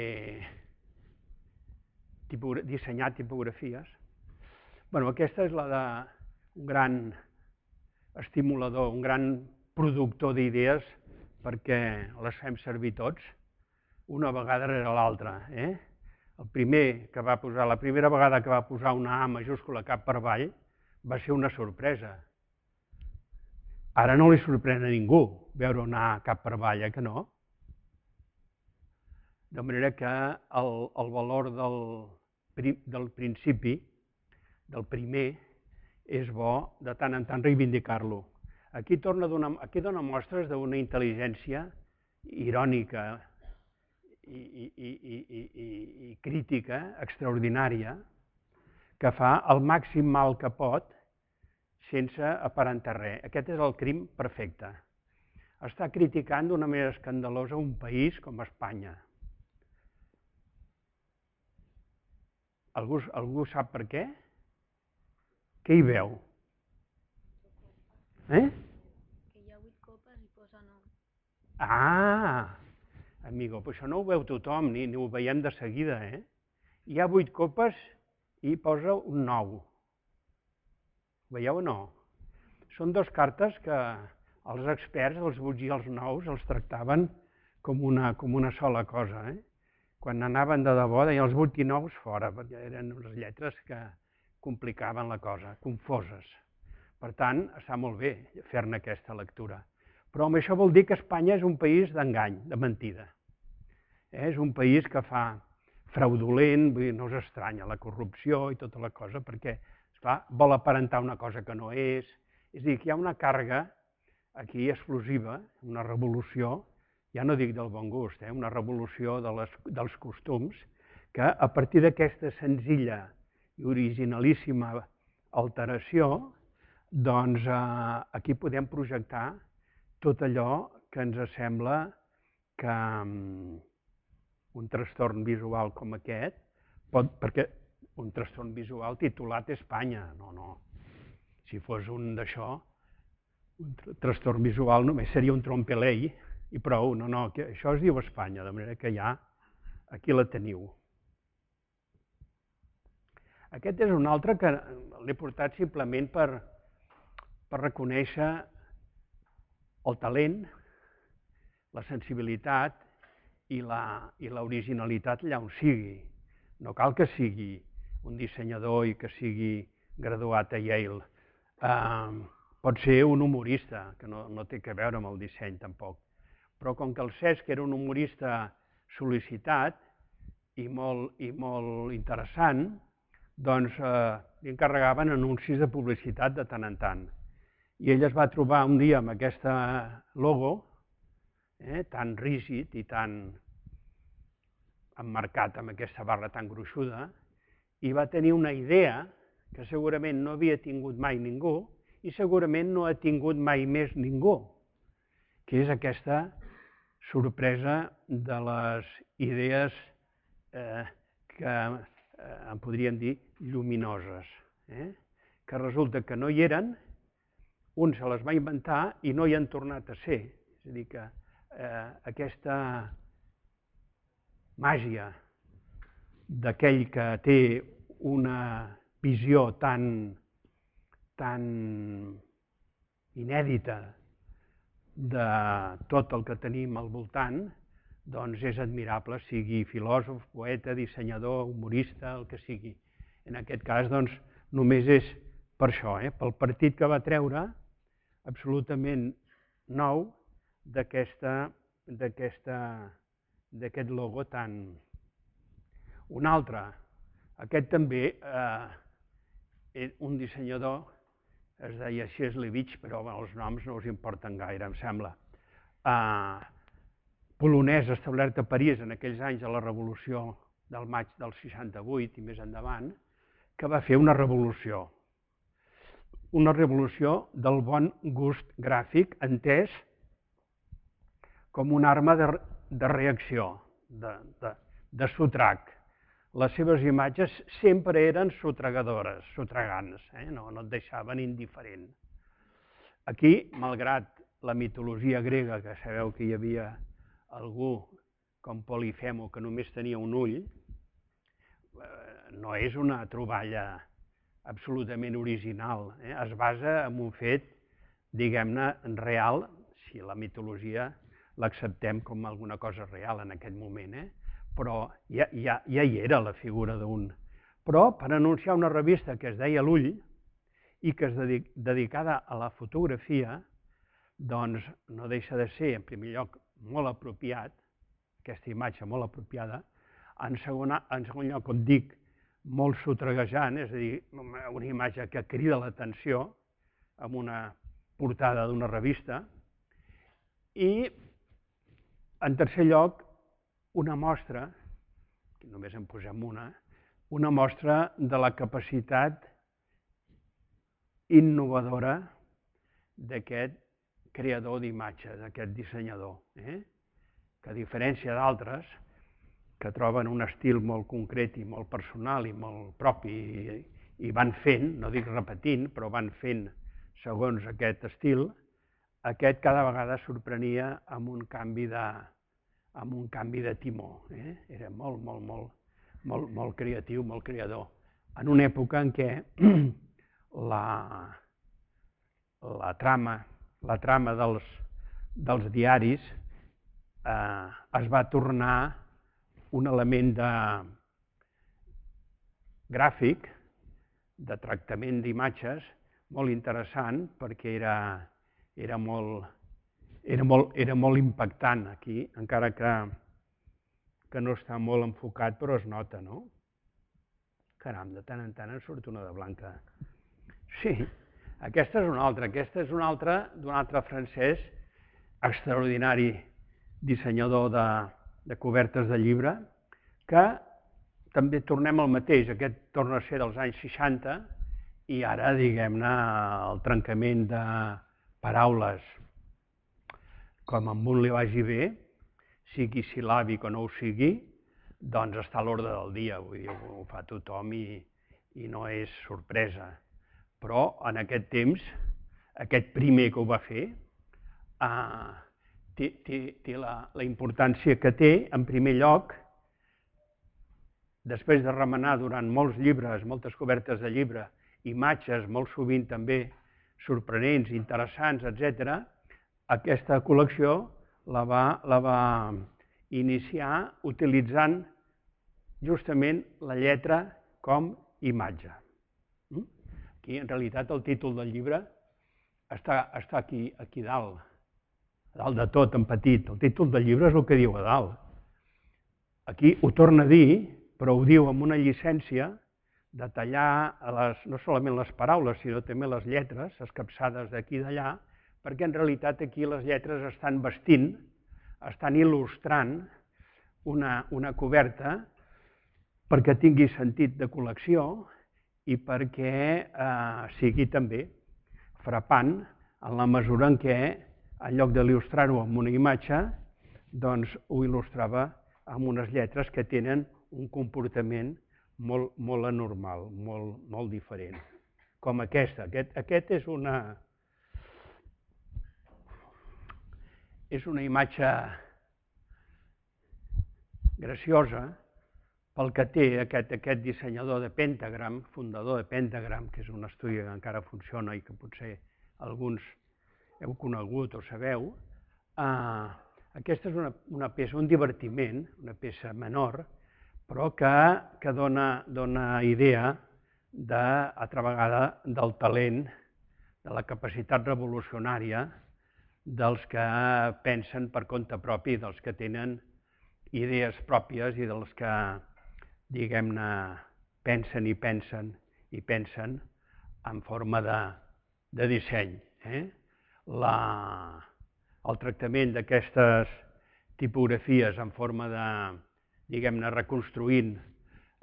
tipura, dissenyar tipografies. Bueno, aquesta és la d'un gran estimulador, un gran productor d'idees perquè les fem servir tots, una vegada rere l'altra. Eh? El primer que va posar, la primera vegada que va posar una A majúscula cap per avall va ser una sorpresa. Ara no li sorprèn a ningú veure una A cap per avall, eh que no? De manera que el, el valor del, del principi, del primer, és bo de tant en tant reivindicar-lo. Aquí, torna a donar, aquí dona mostres d'una intel·ligència irònica i, i, i, i, i, i crítica extraordinària que fa el màxim mal que pot sense aparentar res. Aquest és el crim perfecte. Està criticant d'una manera escandalosa un país com Espanya. Algú, algú sap per què? Què hi veu? Eh? Que hi ha vuit copes i posa nou. Ah, amigo, però això no ho veu tothom, ni, ni ho veiem de seguida, eh? Hi ha vuit copes i posa un nou. Veieu o no? Són dues cartes que els experts, els vuits i els nous, els tractaven com una, com una sola cosa. Eh? Quan anaven de debò, deien els vuit i nous fora, perquè eren unes lletres que complicaven la cosa, confoses. Per tant, està molt bé fer-ne aquesta lectura. Però això vol dir que Espanya és un país d'engany, de mentida. Eh? És un país que fa fraudulent, vull dir, no us estranya la corrupció i tota la cosa, perquè esclar, vol aparentar una cosa que no és. És a dir, que hi ha una càrrega aquí explosiva, una revolució ja no dic del bon gust, eh? Una revolució de les, dels costums, que a partir d'aquesta senzilla i originalíssima alteració, doncs eh, aquí podem projectar tot allò que ens sembla que um, un trastorn visual com aquest, pot, perquè un trastorn visual titulat Espanya, no, no. Si fos un d'això, un trastorn visual només seria un trompelei i prou, no, no, que això es diu Espanya, de manera que ja aquí la teniu. Aquest és un altre que l'he portat simplement per, per reconèixer el talent, la sensibilitat i l'originalitat allà on sigui. No cal que sigui un dissenyador i que sigui graduat a Yale. Uh, pot ser un humorista, que no, no té que veure amb el disseny tampoc. Però com que el Cesc era un humorista sol·licitat i molt, i molt interessant, doncs eh, li encarregaven anuncis de publicitat de tant en tant. I ell es va trobar un dia amb aquesta logo, eh, tan rígid i tan emmarcat amb aquesta barra tan gruixuda, i va tenir una idea que segurament no havia tingut mai ningú i segurament no ha tingut mai més ningú, que és aquesta sorpresa de les idees eh, que eh, en podríem dir lluminoses, eh? Que resulta que no hi eren, un se les va inventar i no hi han tornat a ser. És a dir, que eh, aquesta màgia d'aquell que té una visió tan, tan inèdita de tot el que tenim al voltant, doncs és admirable, sigui filòsof, poeta, dissenyador, humorista, el que sigui. En aquest cas, doncs, només és per això, eh? Pel partit que va treure, absolutament nou, d'aquest logo tan... Un altre, aquest també, eh, un dissenyador, es deia Sieslewicz, però bueno, els noms no us importen gaire, em sembla. Eh, polonès establert a París en aquells anys de la revolució del maig del seixanta-vuit i més endavant, que va fer una revolució. Una revolució del bon gust gràfic, entès com una arma de, de reacció, de, de, de sotrac. Les seves imatges sempre eren sotragadores, sotragants, eh? no, no et deixaven indiferent. Aquí, malgrat la mitologia grega, que sabeu que hi havia algú com Polifemo que només tenia un ull, no és una troballa absolutament original. Eh? Es basa en un fet, diguem-ne, real, si la mitologia l'acceptem com alguna cosa real en aquest moment, eh? Però ja, ja, ja hi era la figura d'un. Però per anunciar una revista que es deia L'Ull i que es dedic, dedicada a la fotografia, doncs no deixa de ser, en primer lloc, molt apropiat, aquesta imatge molt apropiada, en segon, en segon lloc, com dic, molt sotraguejant, és a dir, una imatge que crida l'atenció amb una portada d'una revista, i en tercer lloc, una mostra, que només en posem una, una mostra de la capacitat innovadora d'aquest creador d'imatges, d'aquest dissenyador, eh? Que a diferència d'altres, que troben un estil molt concret i molt personal i molt propi i, i van fent, no dic repetint, però van fent segons aquest estil, aquest cada vegada sorprenia amb un canvi de, amb un canvi de timó. Eh? Era molt, molt, molt, molt, molt creatiu, molt creador. En una època en què la, la trama, la trama dels, dels diaris eh, es va tornar un element de gràfic, de tractament d'imatges, molt interessant, perquè era, era, molt, era, molt, era molt impactant aquí, encara que, que no està molt enfocat, però es nota, no? Caram, de tant en tant en surt una de blanca. Sí, aquesta és una altra. Aquesta és una altra d'un altre francès extraordinari dissenyador de, de cobertes de llibre, que també tornem al mateix, aquest torna a ser dels anys seixanta, i ara, diguem-ne, el trencament de paraules, com amb un li vagi bé, sigui sil·làbic o no ho sigui, doncs està a l'ordre del dia, vull dir, ho fa tothom i, i no és sorpresa. Però en aquest temps, aquest primer que ho va fer, eh, té, té, té la, la importància que té, en primer lloc, després de remenar durant molts llibres, moltes cobertes de llibre, imatges molt sovint també sorprenents, interessants, etcètera, aquesta col·lecció la va, la va iniciar utilitzant justament la lletra com imatge. Aquí, en realitat, el títol del llibre està, està aquí, aquí dalt, a dalt de tot, en petit. El títol del llibre és el que diu a dalt. Aquí ho torna a dir, però ho diu amb una llicència de tallar les, no solament les paraules, sinó també les lletres, escapçades d'aquí i d'allà, perquè en realitat aquí les lletres estan vestint, estan il·lustrant una, una coberta perquè tingui sentit de col·lecció i perquè eh, sigui també frapant en la mesura en què, en lloc d'il·lustrar-ho amb una imatge, doncs ho il·lustrava amb unes lletres que tenen un comportament molt, molt anormal, molt, molt diferent. Com aquesta. Aquest, aquest és una... és una imatge graciosa pel que té aquest, aquest dissenyador de Pentagram, fundador de Pentagram, que és un estudi que encara funciona i que potser alguns heu conegut o sabeu. Eh, aquesta és una, una peça, un divertiment, una peça menor, però que, que dona, dona idea de, altra vegada, del talent, de la capacitat revolucionària dels que pensen per compte propi, dels que tenen idees pròpies i dels que, diguem-ne, pensen i pensen i pensen en forma de, de disseny. Eh? La, el tractament d'aquestes tipografies en forma de, diguem-ne, reconstruint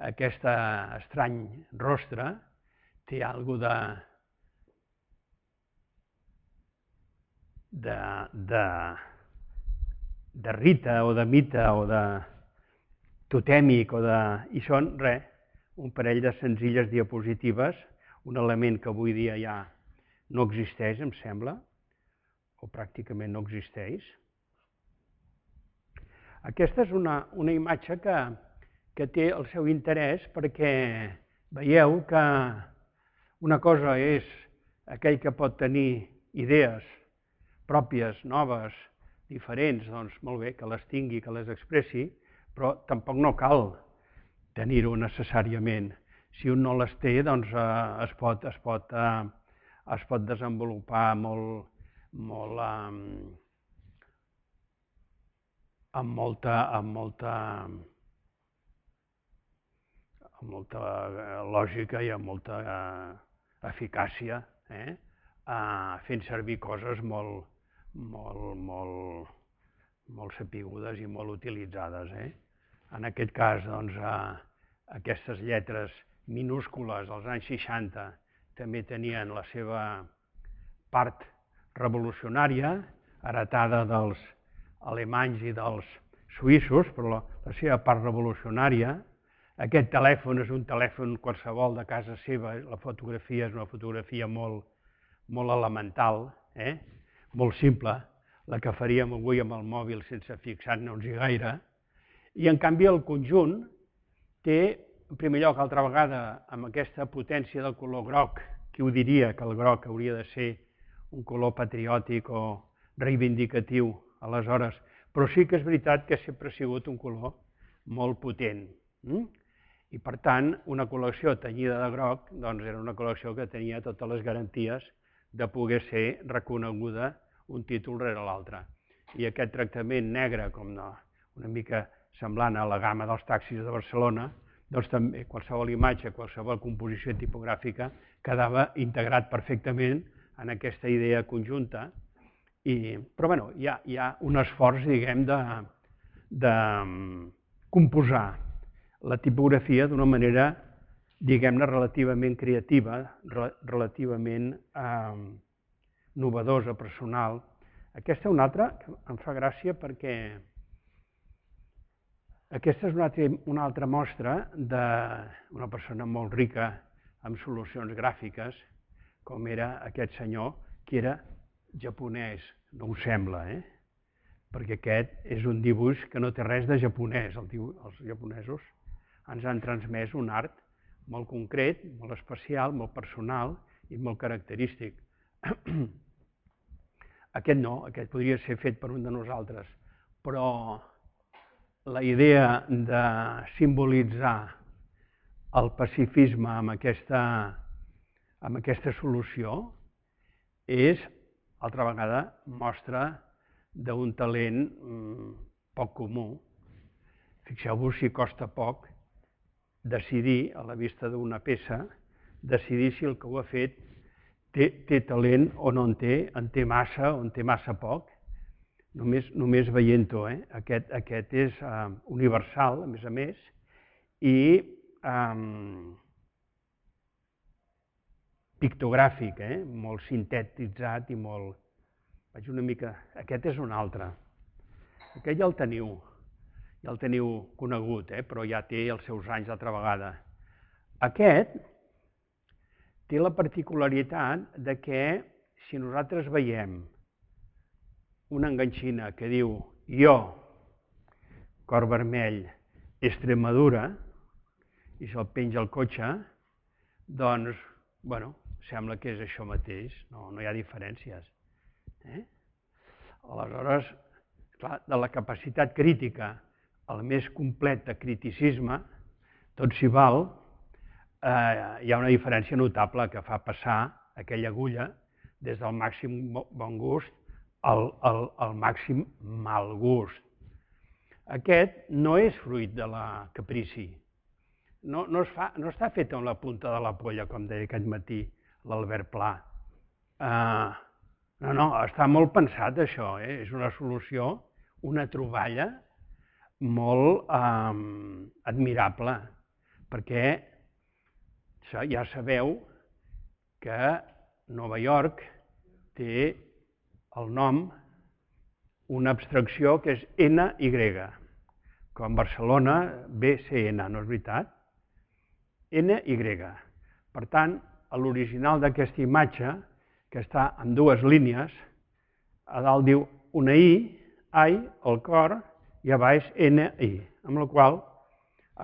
aquest estrany rostre, té alguna de De, de, de rita o de mite o de totèmic o de... i són, res, un parell de senzilles diapositives, un element que avui dia ja no existeix, em sembla, o pràcticament no existeix. Aquesta és una, una imatge que, que té el seu interès perquè veieu que una cosa és aquell que pot tenir idees pròpies, noves, diferents, doncs molt bé, que les tingui, que les expressi, però tampoc no cal tenir-ho necessàriament. Si un no les té, doncs eh, es, pot, es, pot, eh, es pot desenvolupar molt, molt eh, amb molta, amb molta, amb molta lògica i amb molta eh, eficàcia, eh? eh, fent servir coses molt, molt, molt, molt sapigudes i molt utilitzades. Eh? En aquest cas, doncs, eh, aquestes lletres minúscules als anys seixanta també tenien la seva part revolucionària, heretada dels alemanys i dels suïssos, però la, la seva part revolucionària. Aquest telèfon és un telèfon qualsevol de casa seva, la fotografia és una fotografia molt, molt elemental, eh? molt simple, la que faríem avui amb el mòbil sense fixar-nos-hi gaire, i en canvi el conjunt té, en primer lloc, altra vegada, amb aquesta potència del color groc, qui ho diria que el groc hauria de ser un color patriòtic o reivindicatiu aleshores, però sí que és veritat que sempre ha sigut un color molt potent. Mm? I per tant, una col·lecció tenyida de groc doncs era una col·lecció que tenia totes les garanties de poder ser reconeguda un títol rere l'altre. I aquest tractament negre, com no, una mica semblant a la gamma dels taxis de Barcelona, doncs també qualsevol imatge, qualsevol composició tipogràfica quedava integrat perfectament en aquesta idea conjunta I, però bueno, hi ha, hi ha un esforç, diguem, de, de composar la tipografia d'una manera, diguem-ne, relativament creativa, relativament eh, novedosa, personal. Aquesta és una altra que em fa gràcia perquè aquesta és una altra, una altra mostra d'una persona molt rica amb solucions gràfiques, com era aquest senyor, que era japonès, no ho sembla, eh? Perquè aquest és un dibuix que no té res de japonès. El dibuix, els japonesos ens han transmès un art molt concret, molt especial, molt personal i molt característic. Aquest no, aquest podria ser fet per un de nosaltres, però la idea de simbolitzar el pacifisme amb aquesta, amb aquesta solució és, altra vegada, mostra d'un talent poc comú. Fixeu-vos si costa poc decidir, a la vista d'una peça, decidir si el que ho ha fet té, té talent o no en té, en té massa o en té massa poc. Només, només veient-ho, eh? Aquest, aquest és uh, universal, a més a més, i um, pictogràfic, eh? Molt sintetitzat i molt... Vaig una mica... Aquest és un altre. Aquest ja el teniu, ja el teniu conegut, eh? Però ja té els seus anys d'altra vegada. Aquest té la particularitat de que si nosaltres veiem una enganxina que diu jo, cor vermell, Extremadura, i se'l penja al cotxe, doncs, bueno, sembla que és això mateix, no, no hi ha diferències. Eh? Aleshores, clar, de la capacitat crítica al més complet de criticisme, tot s'hi val, eh, hi ha una diferència notable que fa passar aquella agulla des del màxim bon gust al, al, al màxim mal gust. Aquest no és fruit de la caprici, no, no, es fa, no està fet amb la punta de la polla, com deia aquest matí l'Albert Pla. Eh, no, no, està molt pensat això, eh? És una solució, una troballa molt eh, admirable, perquè ja sabeu que Nova York té el nom, una abstracció que és ena i, com Barcelona, be ce ena, no és veritat? ena i. Per tant, a l'original d'aquesta imatge, que està en dues línies, a dalt diu una i, ai, el cor, i a baix ena i, amb la qual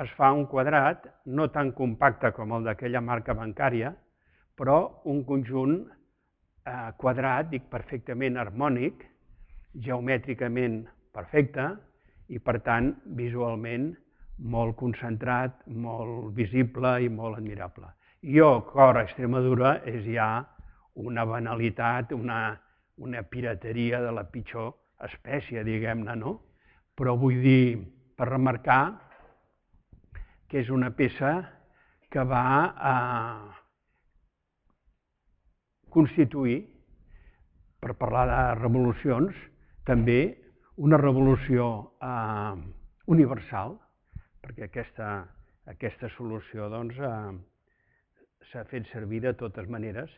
es fa un quadrat no tan compacte com el d'aquella marca bancària, però un conjunt eh, quadrat, dic, perfectament harmònic, geomètricament perfecte i, per tant, visualment molt concentrat, molt visible i molt admirable. Jo, cor a Extremadura, és ja una banalitat, una, una pirateria de la pitjor espècie, diguem-ne, no? Però vull dir, per remarcar que és una peça que va a constituir, per parlar de revolucions, també una revolució eh, universal, perquè aquesta, aquesta solució doncs, eh, s'ha fet servir de totes maneres.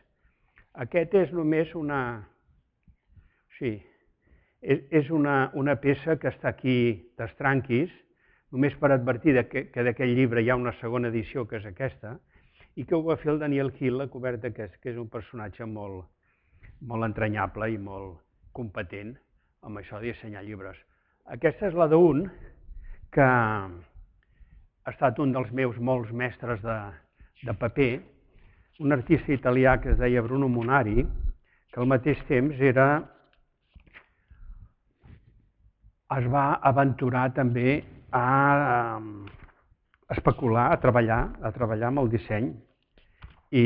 Aquest és només una... Sí, és, és una, una peça que està aquí d'estranquis, només per advertir que, que d'aquest llibre hi ha una segona edició, que és aquesta, i que ho va fer el Daniel Hill, la coberta aquest, que és un personatge molt, molt entranyable i molt competent amb això de dissenyar llibres. Aquesta és la d'un, que ha estat un dels meus molts mestres de, de paper, un artista italià que es deia Bruno Munari, que al mateix temps era, es va aventurar també a especular, a treballar, a treballar amb el disseny, i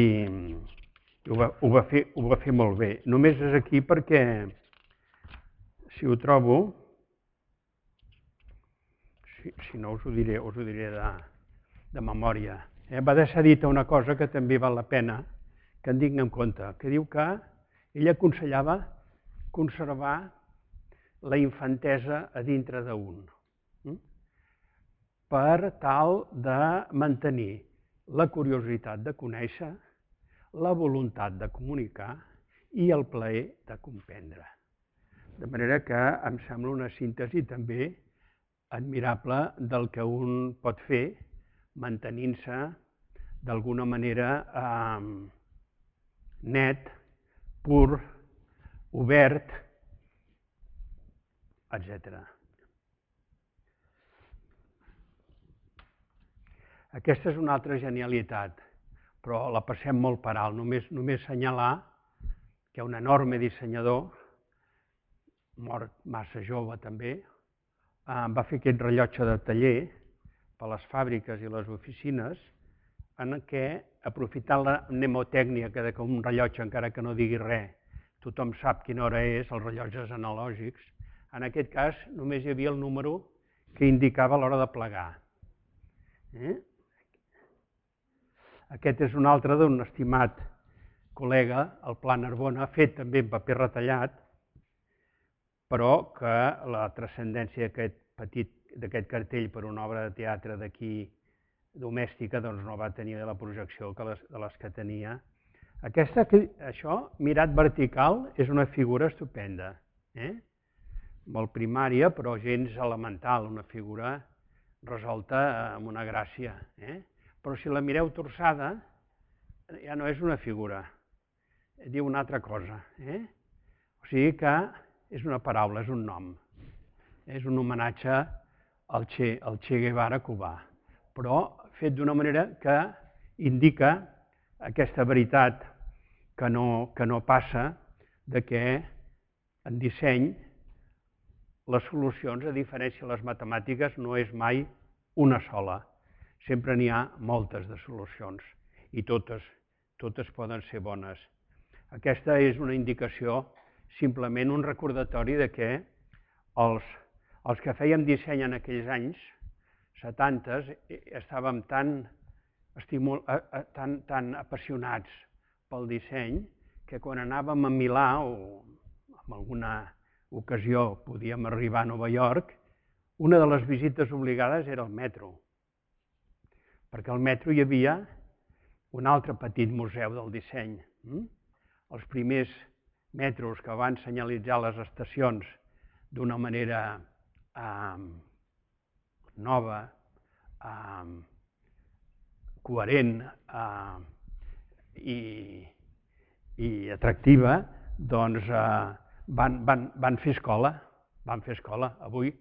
ho va, ho va, fer, ho va fer molt bé. Només és aquí perquè, si ho trobo, si, si no us ho diré, us ho diré de, de memòria. Eh? Va deixar dita una cosa que també val la pena que en tinguem en compte, que diu que ell aconsellava conservar la infantesa a dintre d'un, per tal de mantenir la curiositat de conèixer, la voluntat de comunicar i el plaer de comprendre. De manera que em sembla una síntesi també admirable del que un pot fer mantenint-se d'alguna manera eh, net, pur, obert, etcètera. Aquesta és una altra genialitat, però la passem molt per alt. Només, només assenyalar que un enorme dissenyador, mort massa jove també, eh, va fer aquest rellotge de taller per les fàbriques i les oficines, en què, aprofitant la mnemotècnia que un rellotge, encara que no digui res, tothom sap quina hora és, els rellotges analògics, en aquest cas només hi havia el número que indicava l'hora de plegar. Eh? Aquest és un altre d'un estimat col·lega, el Pla Narbona, fet també en paper retallat, però que la transcendència d'aquest petit d'aquest cartell per una obra de teatre d'aquí domèstica doncs no va tenir la projecció que les, de les que tenia. Aquesta, això, mirat vertical, és una figura estupenda, eh? Molt primària, però gens elemental, una figura resolta amb una gràcia. Eh? Però si la mireu torçada, ja no és una figura, diu una altra cosa. Eh? O sigui que és una paraula, és un nom. És un homenatge al Che, al Che Guevara cubà, però fet d'una manera que indica aquesta veritat que no, que no passa de que en disseny les solucions, a diferència de les matemàtiques, no és mai una sola. Sempre n'hi ha moltes de solucions i totes, totes poden ser bones. Aquesta és una indicació, simplement un recordatori de que els, els que fèiem disseny en aquells anys, setanta, estàvem tan, estimul, tan, tan apassionats pel disseny que quan anàvem a Milà o en alguna ocasió podíem arribar a Nova York, una de les visites obligades era el metro, perquè al metro hi havia un altre petit museu del disseny. Els primers metros que van senyalitzar les estacions d'una manera eh, nova, eh, coherent eh, i, i atractiva, doncs eh, van, van, van fer escola, van fer escola. Avui,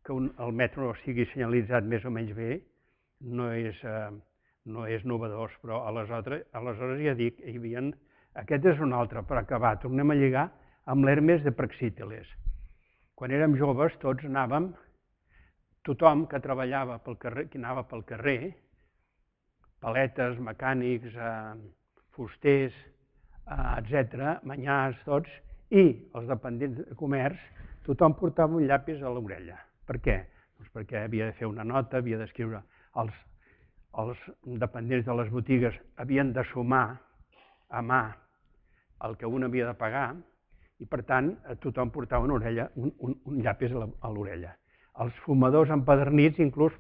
que un, el metro estigui senyalitzat més o menys bé, no és, eh, no és novedós, però aleshores, aleshores ja dic, hi havia... Aquest és un altre, per acabar, tornem a lligar amb l'Hermes de Praxíteles. Quan érem joves tots anàvem, tothom que treballava pel carrer, que anava pel carrer, paletes, mecànics, eh, fusters, eh, etcètera, manyars, tots, i els dependents de comerç, tothom portava un llapis a l'orella. Per què? Doncs perquè havia de fer una nota, havia d'escriure. Els, els dependents de les botigues havien de sumar a mà el que un havia de pagar i, per tant, tothom portava una orella, un, un, un llapis a l'orella. Els fumadors empadernits inclús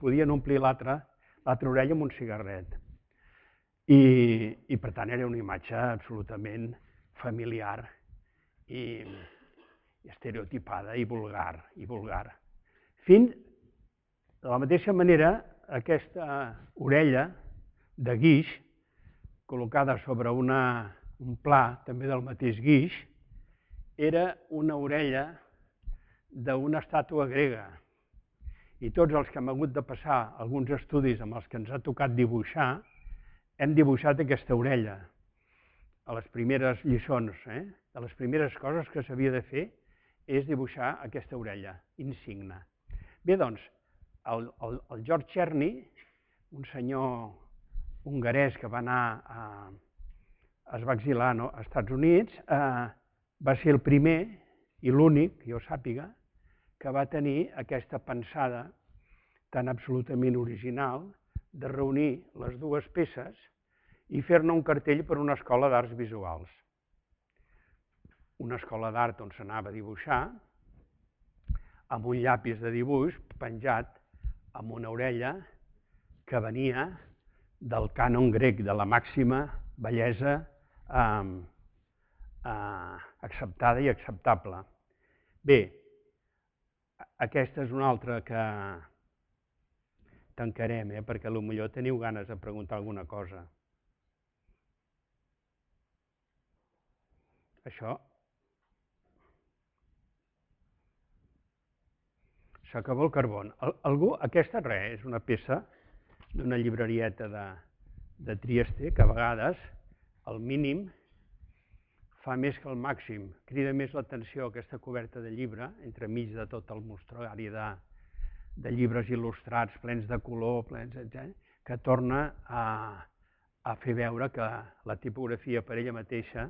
podien omplir l'altra orella amb un cigarret. I, i, per tant, era una imatge absolutament familiar i, i estereotipada i vulgar. I vulgar. Fins, de la mateixa manera, aquesta orella de guix, col·locada sobre una, un pla també del mateix guix, era una orella d'una estàtua grega. I tots els que hem hagut de passar alguns estudis amb els que ens ha tocat dibuixar, hem dibuixat aquesta orella. A les primeres lliçons, eh? de les primeres coses que s'havia de fer és dibuixar aquesta orella, insigne. Bé, doncs, el, el, el George Cherney, un senyor hongarès que va anar a, es va exilar no, als Estats Units, eh, va ser el primer i l'únic, que jo sàpiga, que va tenir aquesta pensada tan absolutament original de reunir les dues peces i fer-ne un cartell per a una escola d'arts visuals. una escola d'art on s'anava a dibuixar, amb un llapis de dibuix penjat amb una orella que venia del cànon grec, de la màxima bellesa eh, eh, acceptada i acceptable. Bé, aquesta és una altra que tancarem, eh, perquè potser teniu ganes de preguntar alguna cosa. Això s'acabó el carbó. Algú, aquesta res, és una peça d'una llibrerieta de, de Trieste, que a vegades el mínim fa més que el màxim. Crida més l'atenció aquesta coberta de llibre, entremig de tot el mostruari de, de llibres il·lustrats, plens de color, plens, etcètera, que torna a, a fer veure que la tipografia per ella mateixa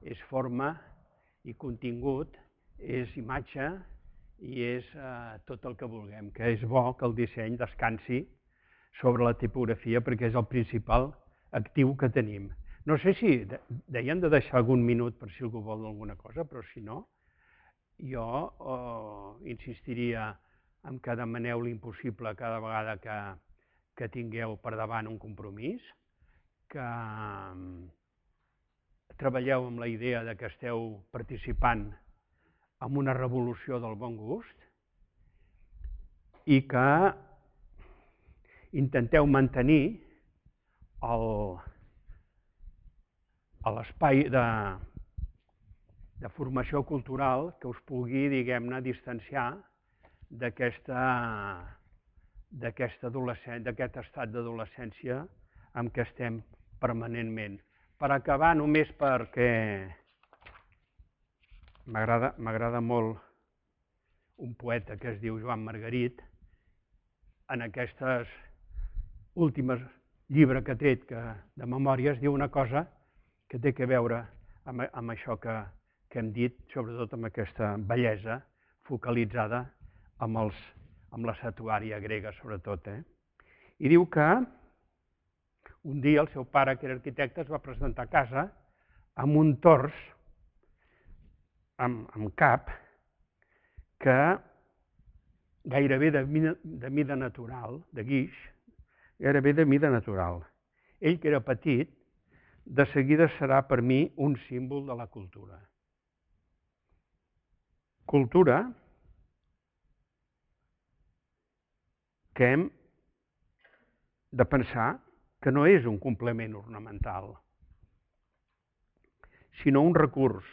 és forma i contingut, és imatge i és eh, tot el que vulguem, que és bo que el disseny descansi sobre la tipografia perquè és el principal actiu que tenim. No sé si deien de deixar algun minut per si algú vol alguna cosa, però si no, jo eh, insistiria en que demaneu l'impossible cada vegada que, que tingueu per davant un compromís, que treballeu amb la idea de que esteu participant en una revolució del bon gust i que intenteu mantenir l'espai de, de formació cultural que us pugui, diguem-ne, distanciar d'aquesta d'aquest estat d'adolescència en què estem permanentment. Per acabar, només perquè m'agrada molt un poeta que es diu Joan Margarit, en aquestes últimes llibres que ha tret de memòries, diu una cosa que té a veure amb això que hem dit, sobretot amb aquesta bellesa focalitzada amb la estatuària grega, sobretot. I diu que un dia el seu pare, que era arquitecte, es va presentar a casa amb un tors amb cap que gairebé de mida natural, de guix, gairebé de mida natural. Ell, que era petit, de seguida serà per mi un símbol de la cultura. Cultura que hem de pensar que no és un complement ornamental, sinó un recurs,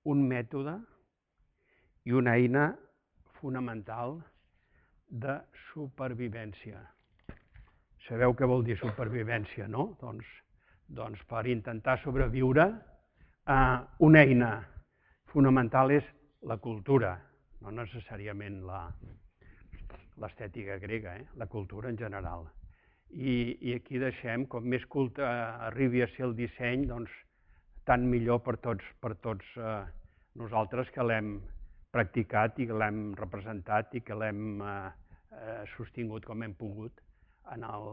un mètode i una eina fonamental de supervivència. Sabeu què vol dir supervivència, no? Doncs, doncs per intentar sobreviure, eh, una eina fonamental és la cultura, no necessàriament l'estètica grega, eh? La cultura en general. I, i aquí deixem, com més culte arribi a ser el disseny, doncs tant millor per tots, per tots eh, nosaltres que l'hem practicat i que l'hem representat i que l'hem eh, sostingut com hem pogut en el,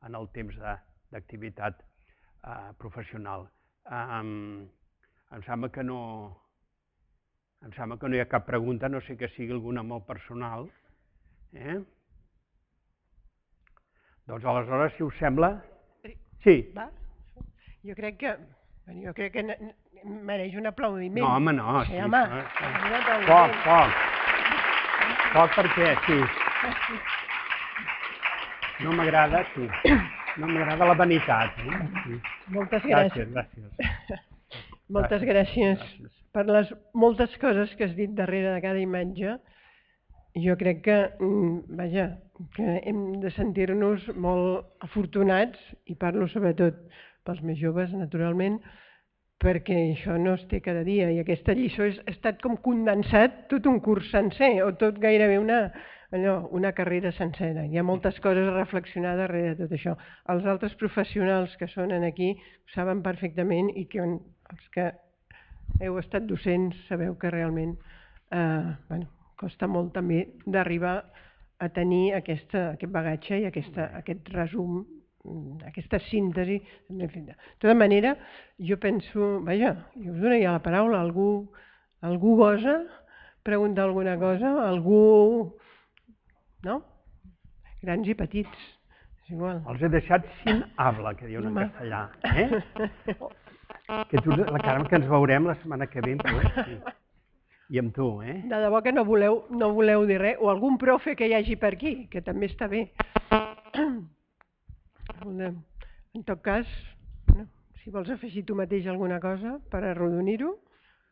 en el temps d'activitat eh, professional. Eh, em sembla que no, em sembla que no hi ha cap pregunta, no sé que sigui alguna molt personal. Eh? Doncs aleshores, si us sembla... Sí. Va? Jo crec que... Jo crec que mereix un aplaudiment. No, home, no. Sí, home. Poc, poc. Poc perquè, sí. No m'agrada, sí. No m'agrada la vanitat. Moltes gràcies. Gràcies, Moltes gràcies per les moltes coses que has dit darrere de cada imatge. Jo crec que, vaja, que hem de sentir-nos molt afortunats, i parlo sobretot pels més joves, naturalment, perquè això no es té cada dia, i aquesta lliçó ha estat com condensat tot un curs sencer, o tot gairebé una, allò, una carrera sencera. Hi ha moltes coses a reflexionar darrere de tot això. Els altres professionals que són aquí ho saben perfectament, i que els que heu estat docents sabeu que realment eh, bueno, costa molt també d'arribar a tenir aquesta, aquest bagatge i aquesta, aquest resum aquesta síntesi. De tota manera, jo penso, vaja, jo us donaria la paraula, algú, algú gosa preguntar alguna cosa, algú, no? Grans i petits, és igual. Els he deixat sin habla, que diuen en castellà. Eh? Que tu, la Carme, que ens veurem la setmana que ve, sí. I amb tu, eh? De debò que no voleu, no voleu dir res, o algun profe que hi hagi per aquí, que també està bé. En tot cas, no? Si vols afegir tu mateix alguna cosa per arrodonir-ho,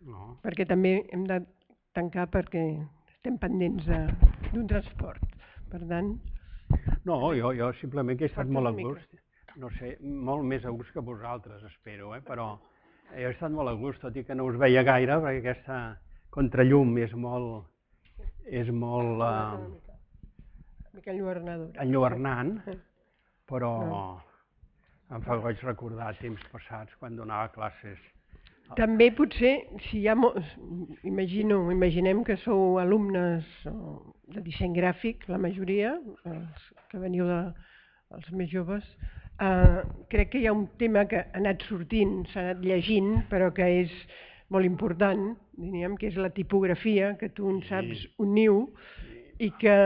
no. Perquè també hem de tancar perquè estem pendents d'un transport. Per tant... No, jo, jo simplement que he estat molt a gust. No sé, molt més a gust que vosaltres, espero, eh? Però jo he estat molt a gust, tot i que no us veia gaire, perquè aquesta contrallum és molt... és molt... Uh, mica enlluernadora. Enlluernant, però no. Em fa goig recordar temps passats quan donava classes. També potser, si hi ha molts, imagino, imaginem que sou alumnes de disseny gràfic, la majoria, els que veniu de, els més joves, eh, crec que hi ha un tema que ha anat sortint, s'ha anat llegint, però que és molt important, diríem, que és la tipografia, que tu en saps un niu, i que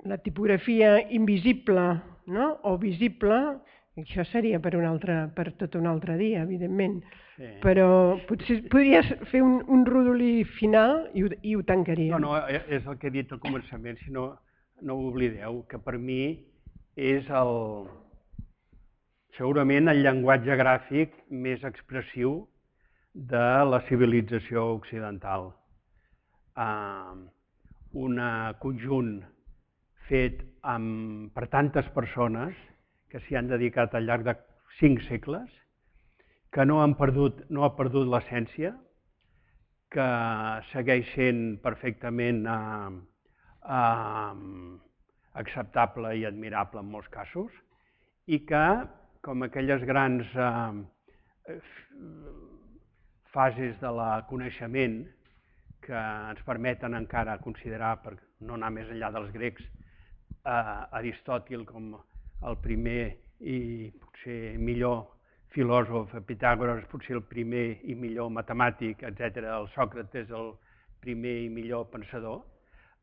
la tipografia invisible, no? O visible, això seria per, un altre, per tot un altre dia, evidentment, sí. Però potser podries fer un, un rodolí final i ho, i ho tancaríem. No, no, és el que he dit al començament, si no, no ho oblideu, que per mi és el, segurament el llenguatge gràfic més expressiu de la civilització occidental. Uh, un conjunt fet amb, per tantes persones que s'hi han dedicat al llarg de cinc segles, que no han perdut, no ha perdut l'essència, que segueix sent perfectament eh, eh, acceptable i admirable en molts casos, i que, com aquelles grans eh, fases de la coneixement que ens permeten encara considerar, per no anar més enllà dels grecs, eh, Aristòtil com el primer i potser millor filòsof, Pitàgores potser el primer i millor matemàtic, etcètera, el Sòcrates el primer i millor pensador,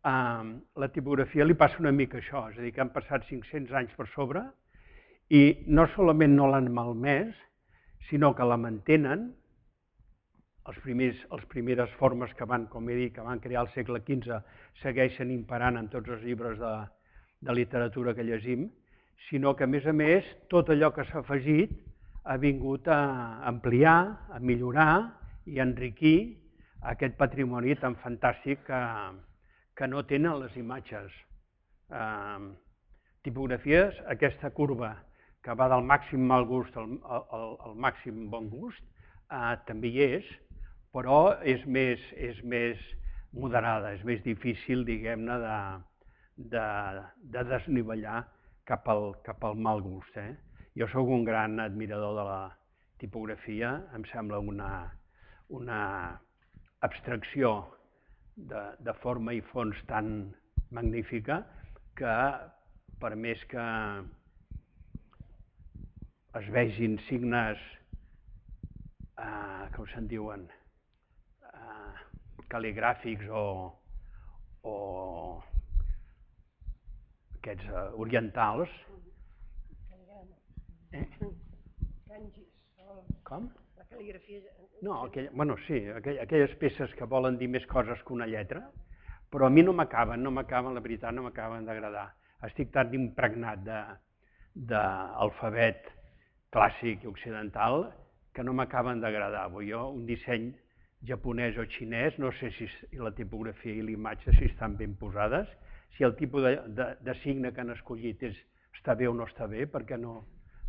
eh, la tipografia li passa una mica això, és a dir, que han passat cinc-cents anys per sobre i no solament no l'han malmès, sinó que la mantenen. Els primers, les primeres formes que van, com he dit, que van crear al segle quinze segueixen imperant en tots els llibres de, de literatura que llegim, sinó que, a més a més, tot allò que s'ha afegit ha vingut a ampliar, a millorar i a enriquir aquest patrimoni tan fantàstic que, que no tenen les imatges. Eh, tipografies, aquesta curva que va del màxim mal gust al, al, al màxim bon gust, eh, també hi és, però és més, és més moderada, és més difícil, diguem-ne, de, de, de desnivellar cap al, cap al mal gust. Eh? Jo sóc un gran admirador de la tipografia, em sembla una, una abstracció de, de forma i fons tan magnífica que, per més que es vegin signes, eh, com se'n diuen, eh, cal·ligràfics o, o aquests eh, orientals. Eh? Com? La cal·ligrafia... No, aquell, bueno, sí, aquell, aquelles peces que volen dir més coses que una lletra, però a mi no m'acaben, no m'acaben, la veritat, no m'acaben d'agradar. Estic tan impregnat d'alfabet clàssic i occidental que no m'acaben d'agradar. Jo, un disseny japonès o xinès, no sé si la tipografia i l'imatge si estan ben posades, si el tipus de, de, de signe que han escollit és, està bé o no està bé, perquè no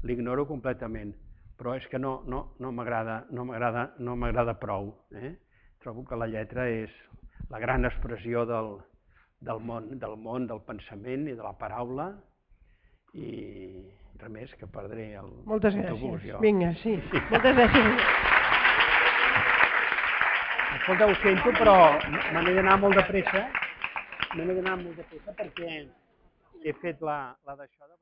l'ignoro completament, però és que no, no, no m'agrada no m'agrada no m'agrada prou. Eh? Trobo que la lletra és la gran expressió del, del, món, del món, del pensament i de la paraula, i res més que perdré el Moltes autobús. gràcies. Jo. Vinga, sí. sí. Moltes gràcies. Escolta, ho sento, però me n'he d'anar molt de pressa. Me n'he d'anar molt de pressa perquè he fet la, la d'això de...